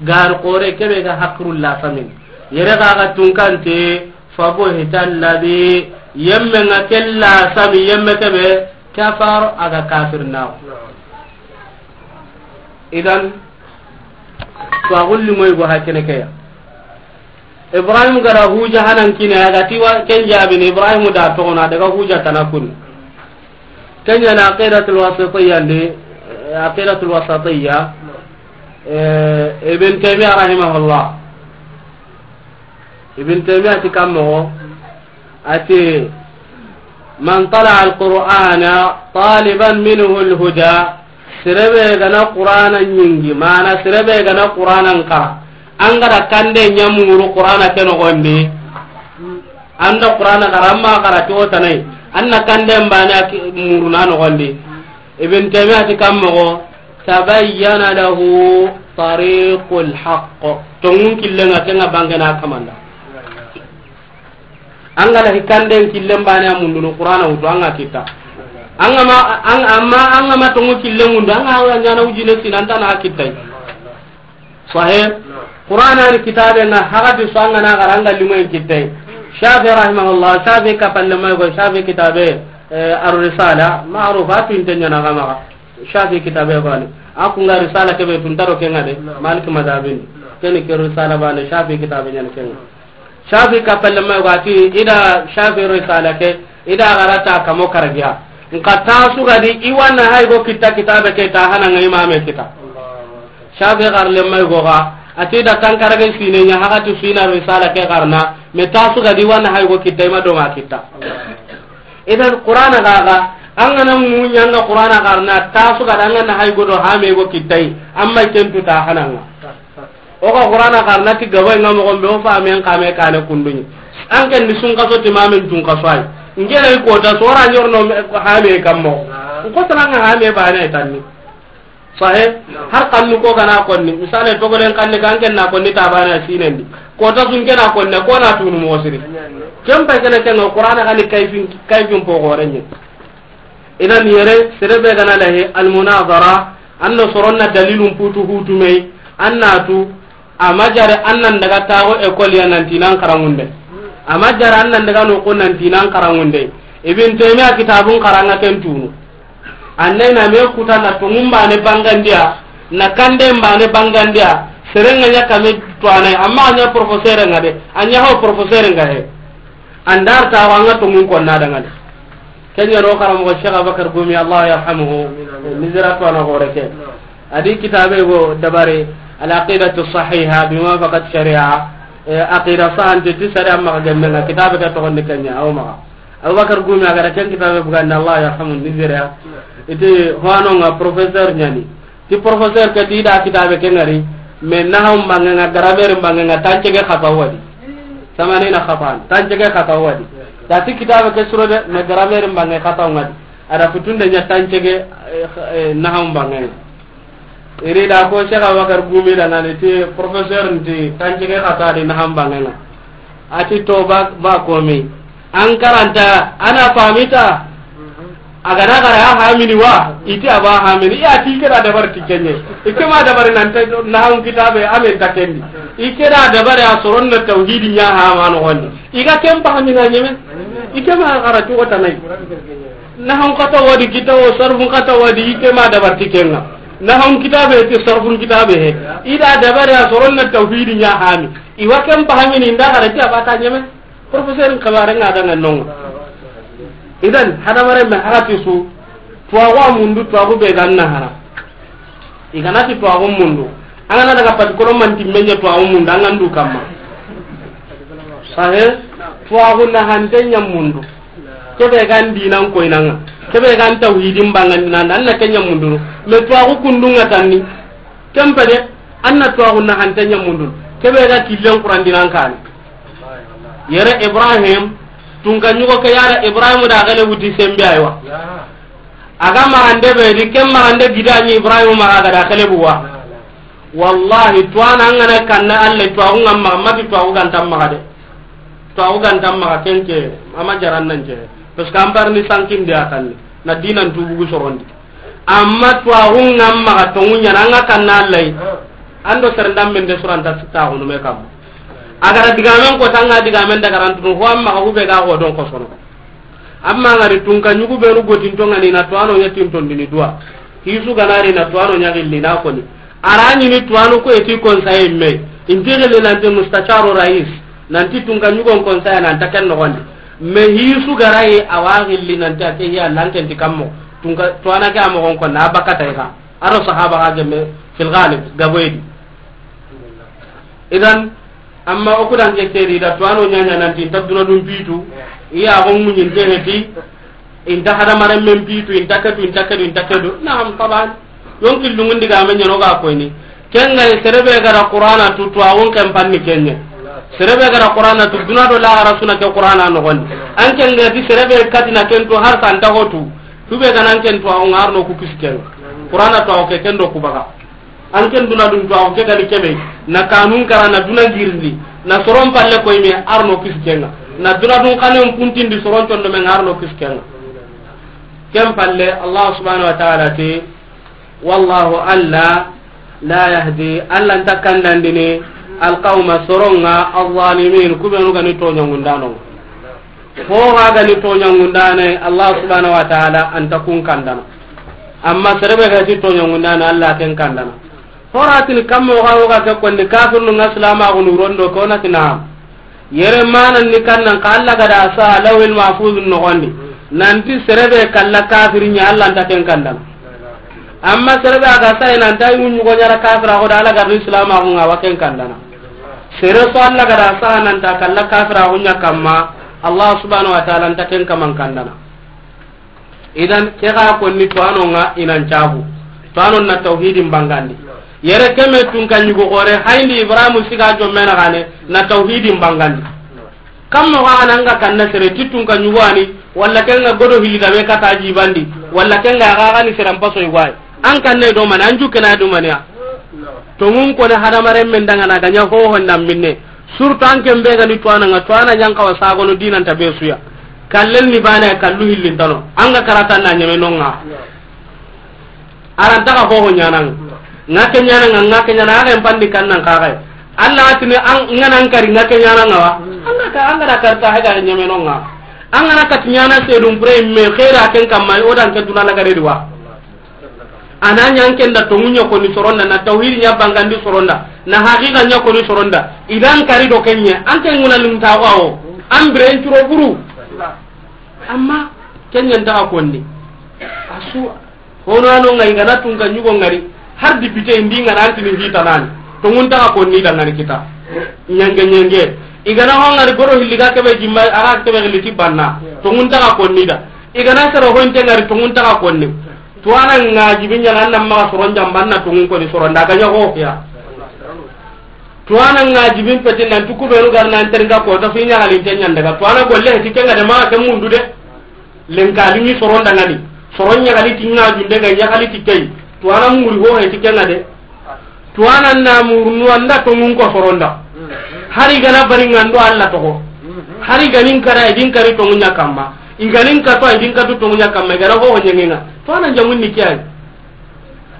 Gari kore, kebe ga hakiru lasami. Yere ga ga tunkante, فبهت الذي, yemme ŋa ke lasami, yemme kebe, كفر, a ga kafir naxo. Idan, to a gulli moy go hakene ke ya. Ibrahim ga da huja hanan kine, a ga ti wa ken jabini, Ibrahim da toxona daga huja tana kuni. Ken ɲa na Aqidatul Wasatiyya ndi, eh, Aqidatul Wasatiyya, eh, Ibn Taymiyyah rahimahullah. Ibn Taymiyyah ti kammo, a ti, من طلع القرآن طالبا منه الهدى, sere be ga na Qur'ana ɲingi, mana sere be ga na Qur'ana n xara, an ga da kande ɲa muru Qur'ana ke noxondi, an da Qur'ana xara, amma xara ti o tanai, an na kande mbane a ki-, muru na noxondi. Ibn Taymiyyah ti kammo, تبين له طريق الحق. Tonŋun killen ŋa, ken ŋa bangana kamanda. An ga na hikanden killen bane a mundunu Qur'ana wutu, an ga kita. An ga ma, an, amma an ga ma tonŋu killen mundu, an ga wa ɲaana wujine sinan tana a kitai. Sahih. Qur'ana ni kitabe ŋa, hagati so an ga na xara, an ga limoyin kitai. Shafi rahimahullah, Shafi kapalle may go, Shafi kitabe, eh, Ar-Risala, ma'ruf, a tu inte ɲaana ga maxa. Shafi kitabe bane. A ku ŋa Risala kebe tun taro ke ŋa de, Malik madhabin. Keni ke Risala bane, Shafi kitabe ɲaana ke ŋa. Shafi kapalle may go a ti, i da Shafi Risala ke, i da xara ta kamo karagiya. Nka ta su ga di, i wa na hay go kita kitabe ke ta hana ŋa imame kita. Shafi xarle may go ga, a ti da tankarage sine ɲa, hagati sina Risala ke xarana, me ta su ga di, i wa na hay go kita, i ma do ŋa kita. Idan Qur'ana ga ga, an ga na ŋuɲa ŋa Qur'ana xarana, ta su ga da an ga na hay go do hame go kitai, amma ken tu ta hana ŋa. O ga Qur'ana xarana ti gabo ŋa moxo be, o fa men kame kane kunduni. An ken ni sun kaso ti mamin tun kaso ay. Ngena i kota sora ɲorno hame kammo. Ko tana ŋa hame bane tanni. Sahe, har kannu ko ga na konni, misale, togolen kanni kan ken na konni tabana sinendi. Kota sun ke na konni, ko na tunu mo siri. Ken pa kene ken Qur'ana ga ni kayfin, kayfin po gorenye. Idan yere, sere be ga na lahe, al munazara, an no soronna dalilun putu hutu mey, an na tu, A ma jare an nan daga taxo école ya nan ti nan xaranŋunde. A ma jare an nan daga noxo nan ti nan xaranŋunde. Ibn Taymiya kitabun xaranŋa ken tunu. An nay na me kuta na tonŋun bane bangandiya, na kanden bane bangandiya, seren ŋa ɲa kame to anay, amma a ɲa professeur ŋa de, a ɲa ho professeur ŋa he. An dar taxo an ŋa tonŋun konna dangane. Ken ɲa no xaranmoxo Cheikh Abakar Gumi, Allah yarhamuhu, Misira to a na xore ke. A di kitabe go dabari, Al Aqidatu Sahiha bi Muwafaqati Sharia. Eh, aqida sahante ti sari amma ga gemme nga kitabe ke toxondi kenya aw maxa. Abubakar Gumi a ga ra ken kitabe bugandi, Allah yarhamu, Nigeria. Iti hoano nga professeur nyani. Ti professeur ke ti da kitabe ke ngari, mais nahaw mbange nga, grammaire mbange nga, tancege xata wadi. Samanina xatan, tancege xata wadi. Da ti kitabe ke suro de, mais grammaire mbange xata ngadi. Ada futunde nya tancege, eh, eh, nahaw mbange nga. Iri da ko Cheikh Abubakar Gumi da ngani ti professeur nti tancege xata di nahaw mbange nga. Ati to ba, ba komi. An karanta, ana famita. A ga na gara ya hamini wa, iti a ba hamini. Iya ti keda dabar ti kenye. Ike ma dabar nan ta nahaw kitabe amen ta kendi. Ike da dabar ya soron na tauhidi nya ha ma no wonni. Iga ken ba hamina nyeme. Ike ma gara ti wota nay. Nahaw kata wadi kitawo, sarfun kata wadi, ike ma dabar ti kenga. Nahaw kitabe ti sarfun kitabe he. Ida dabar ya soron na tauhidi nya hami. Iwa ken ba hamini nda gara ti a ba ta nyeme. Professeur n xabaare nga daga nongo. Idan, hadamaren me hara ti su, tuwaxu a mundu, tuwaxu be ga na hara. I ga na ti tuwaxu mundu. An ga na daga pati kolo manti menye tuwaxu mundu, an ga ndu kamma. Sahe, tuwaxu nahante nya mundu. Kebe ga n dinan koyinanga. Kebe ga n tauhidin bangandinanda, an na ke nya mundu. Me tuwaxu kundunga tanni. Kempe de, an na tuwaxu nahante nya mundu. Kebe ga killen Quran dinan kani. Yere Ibrahim, tunka ɲugo ke yara Ibrahim da gele wuti sembe aywa. Aga marande be di, ken marande gidani Ibrahim maga ga da gele buwa. Wallahi, tuwana ngana kanna Alla, tuwaxu ngam maga, mati tuwaxu gantam maga de. Tuwaxu gantam maga kenke, ama jaran nan je. Parce que an parni sankin de akanni, na dinan tubugu sorondi. Amma tuwaxu ngam maga tongu ɲana anga kanna Alla. Ando serendam men de suranta sita hunu me kam. Agara digamen ko tanga digamen daga rantunu ho amma ga hube ga ho don ko sono. Amma ngari tunka ɲugu beru gotin to ngani na tuwano ɲa tin tondini duwa. Hisu ganari na tuwano ɲa gilli na koni. Arani ni tuwano ko eti konsaye me. Inti gilli nanti mustasharo rais. Nanti tunka ɲugon konsaye nan ta ken nogondi. Me hisu garaye awa gilli nanti ake ya lanken ti kammo. Tunka tuwana ke amogon ko na bakata ika. Aro sahaba ga gemme fil ghalib gaboyedi. Idan, amma o kudan ke seri da tuwano ɲaɲa nanti inta duna dun pitu, iya gon muɲin te heti, inta hadamaren men pitu, inta ketu, inta ketu, inta ketu. Naam, taban. Yonki lungun diga men ɲano ga koyni. Kenga serebe gara Qur'ana tu tuwaxun ken panni kenye. Serebe gara Qur'ana tu duna do la gara suna ke Qur'ana nogondi. An kenga di serebe katina ken tu har santa hotu. Tube ganan ken tuwaxu ngarno ku kisken. Qur'ana tuwaxu ke ken do ku baga. An ken duna dun tuwaxu ke gani kebe, na kanun kara na duna girindi, na soron palle koy me arno kiskenga. Na duna dun kanen puntindi soron condo me arno kiskenga. Ken palle Allah subhanahu wa ta'ala ti, wallahu Alla la yahdi, Alla nta kandandini, alqawma soronga, alzalimin, kubenu gani toɲangundano. Ho ga gani toɲangundane, Allah subhanahu wa ta'ala anta kun kandana. Amma serebe ga ti toɲangundane, Allah ken kandana. Horatini kammo ga wo ga ke konni kafirnu nga silamaxunu rondo ko nati naam. Yere manan ni kannan ka Allah ga da sa lawil mahfuz nogondi. Nanti serebe kalla kafirinya Allah nta ken kandana. Amma serebe aga sa ina nta yunyugo ɲara kafira ko da Allah ga silamaxu nga wa ken kandana. Sere so Allah ga da saha nanta kalla kafira hunya kamma, Allah subhanahu wa ta'ala nta ken kaman kandana. Idan ke ga konni tuwano nga inan cabu. Tuwano na tauhidin bangandi. Yere keme tunka ɲugo gore, hayndi Ibrahim siga jomme na gane, na tauhidin bangandi. Kammo ga ananga kanna sere ti tunka ɲugo ani, walla kenga godo hili da me kata jibandi, walla kenga ga gani sere mpaso igwai. An kanne do man, an jukena do man ya. Tongun kone hadamaren men dangana ganya ho honda minne. Surtout an ken be gani tuwana nga tuwana ɲan kawa sagono dinanta be suya. Kallen ni bana kallu hillin tano. An ga karata na ɲeme nonga. Aran taga ho ho ɲanan. Nga ke ɲanan nga ke ɲanan aga en pandi kannan kaga. Allah atini an ngana an kari nga ke ɲanan nga wa. An ga ka, an ga da karta haga ɲeme nonga. An ngana kat ɲana sedum pre me khaira ken kamma o dan ke duna lagare diwa. Ana ɲa an ken da tongu ɲa koni soronda, na tauhid ɲa bangandi soronda, na haqiqa ɲa koni soronda. Idan kari do kenye, an ken nguna limta wawo. An bren turo buru. Amma kenye nta konni. Asu hono ano ngai gana tunka ɲugo ngari. Har député indi ngana antini hita nani. Tongun ta konni da ngari kita. Ɲange ɲange. I ga na ho ŋari goro hilli ga kebe jimma, a ga kebe hilli ti banna. Tonŋun ta ga konni da. I ga na sero honte ŋari tonŋun ta ga konni. Tuwana ŋa jibi ɲaga nan maxa soron jamba na tonŋun koni soron da ga ɲa ho ya. Tuwana ŋa jibin peti nan tuku benu gar nan teringa ko ta fi ɲagalinte ɲan daga. Tuwana golle heti kenga de maxa ke mundu de. Lenkali ni soron da ŋani. Soron ɲagali ti ŋa junde ga ɲagali ti kei. Tuwana muri ho heti kenga de. Tuwana na murunu anda tonŋun ko soronda. Hari gana bari ŋando Allah toxo. Hari ganin kara idin kari tonŋun ɲa kamma. I ganin kato idin katu tonŋun ɲa kamma. I gana ho ɲangenga. Tuwana jamun ni kiyai.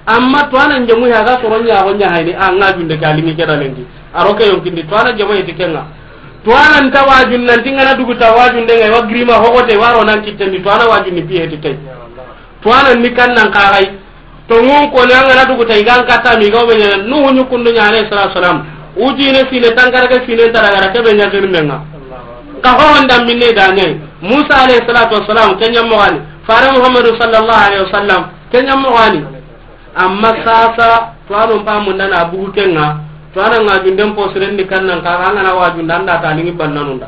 Amma tuwana jamu ya ga soron ɲa ho ɲa hayni a ŋa junde ga limi keda lenki. A ro ke yonkindi tuwana jamu heti kenga. Tuwana nta wajun nanti ŋana dugu ta wajun de ŋa wa grima ho gote waro nan kitendi tuwana wajun ni pi heti kei. Tuwana ni kan nan kagai. Tonŋun ko ni an ga na dugu ta i ga n katta mi ga o be ɲana Nuhu ɲukundu ɲa alayhi salatu wasalam. Ujine sine tankarage sine nta daga ra ke be ɲa girmenga. Ka ho honda minne da ɲai. Musa alayhi salatu wasalam ke ɲa mo gani. Fare Muhammadu sallallahu alayhi wasallam ke ɲa mo gani. Amma sasa tuwano mpa munda na bugu kenga. Tuwana ŋa junden posiren di kannan ka an ga na wajunda anda ta lingi bannanunda.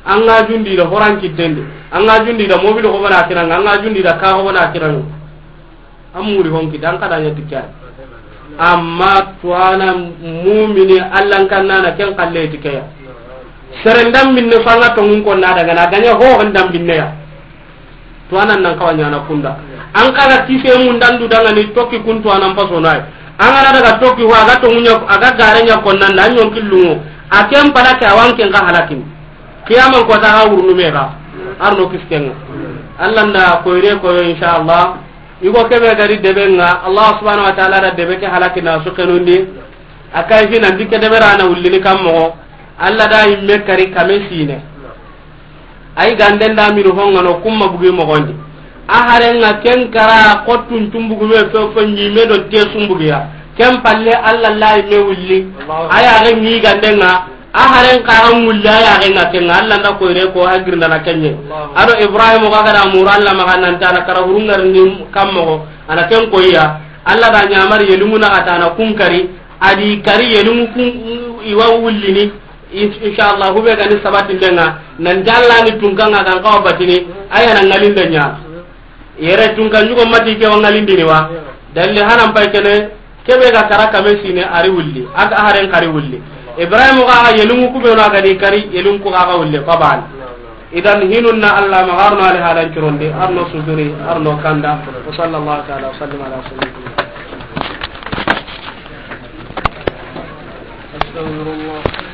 An ŋa jundi da horan kitendi. An ŋa jundi da mobili ko bana kiranga. An ŋa jundi da ka ko bana kiranga. An muri honki dan kada ɲa tikkani. Amma tuwana mumini Allah kannana ken kalle tikeya. Seren dan minne fanga tonŋun ko na daga na ganya ho hondan binne ya. Tuwana nan kawa ɲana kunda. An kaga kise mun dandu daga ni tokki kun tuwana mpaso nay. An ga na daga tokki ho aga tonŋun ɲa aga gare ɲa konnan da ɲon killungo. A ken pala ke awan ken ga halakin. Kiyaman ko ta ga wurnu me ga. Arno kiskenga. Allah nda koyre koyo insha Allah. Igo kebe gari debe nga Allah subhanahu wa ta'ala da debe ke halaki na su kenundi. Akai fi nan dikke debe rana ullini kam mo. Allah da imme kari kame sine. Ay ganden da miru honga no kumma bugi mo gondi. A hare nga ken kara kottun tumbugu me fo fo ni me do te sumbugiya. Ken palle Allah la imme ulli. Aya ga ni ganden nga. A haren karan wulle a yaxen ŋa kenŋa, Allah nda koyre ko a girindana kenɲe. Ado Ibrahim ga gada muru Allah maxa nanta na kara hurungarni kammoxo, a na ken koyiya. Allah da ɲamari yelinŋu naxata na kun kari, a di kari yelinŋu kun iwa wullini. In-, inshallah hube gani sabatindenŋa, nan jallani tunkanŋa gan kawa batini, a yana ŋalinde ɲa. Yere tunka ɲugo mati ke wa ŋalindini wa. Dalli hanan pay kene, kebe ga kara kame sine ari wulli. Aka haren kari wulli. Ibrahim ga ga yelungu kubenu ga di kari, yelungu ga ga wulli, ko ban. Idan hinun na Allah ma arno ali halan curondi, arno sujuri, arno kanda. Wa sallallahu ta'ala wa sallim ala sayyidina. Astaghfirullah.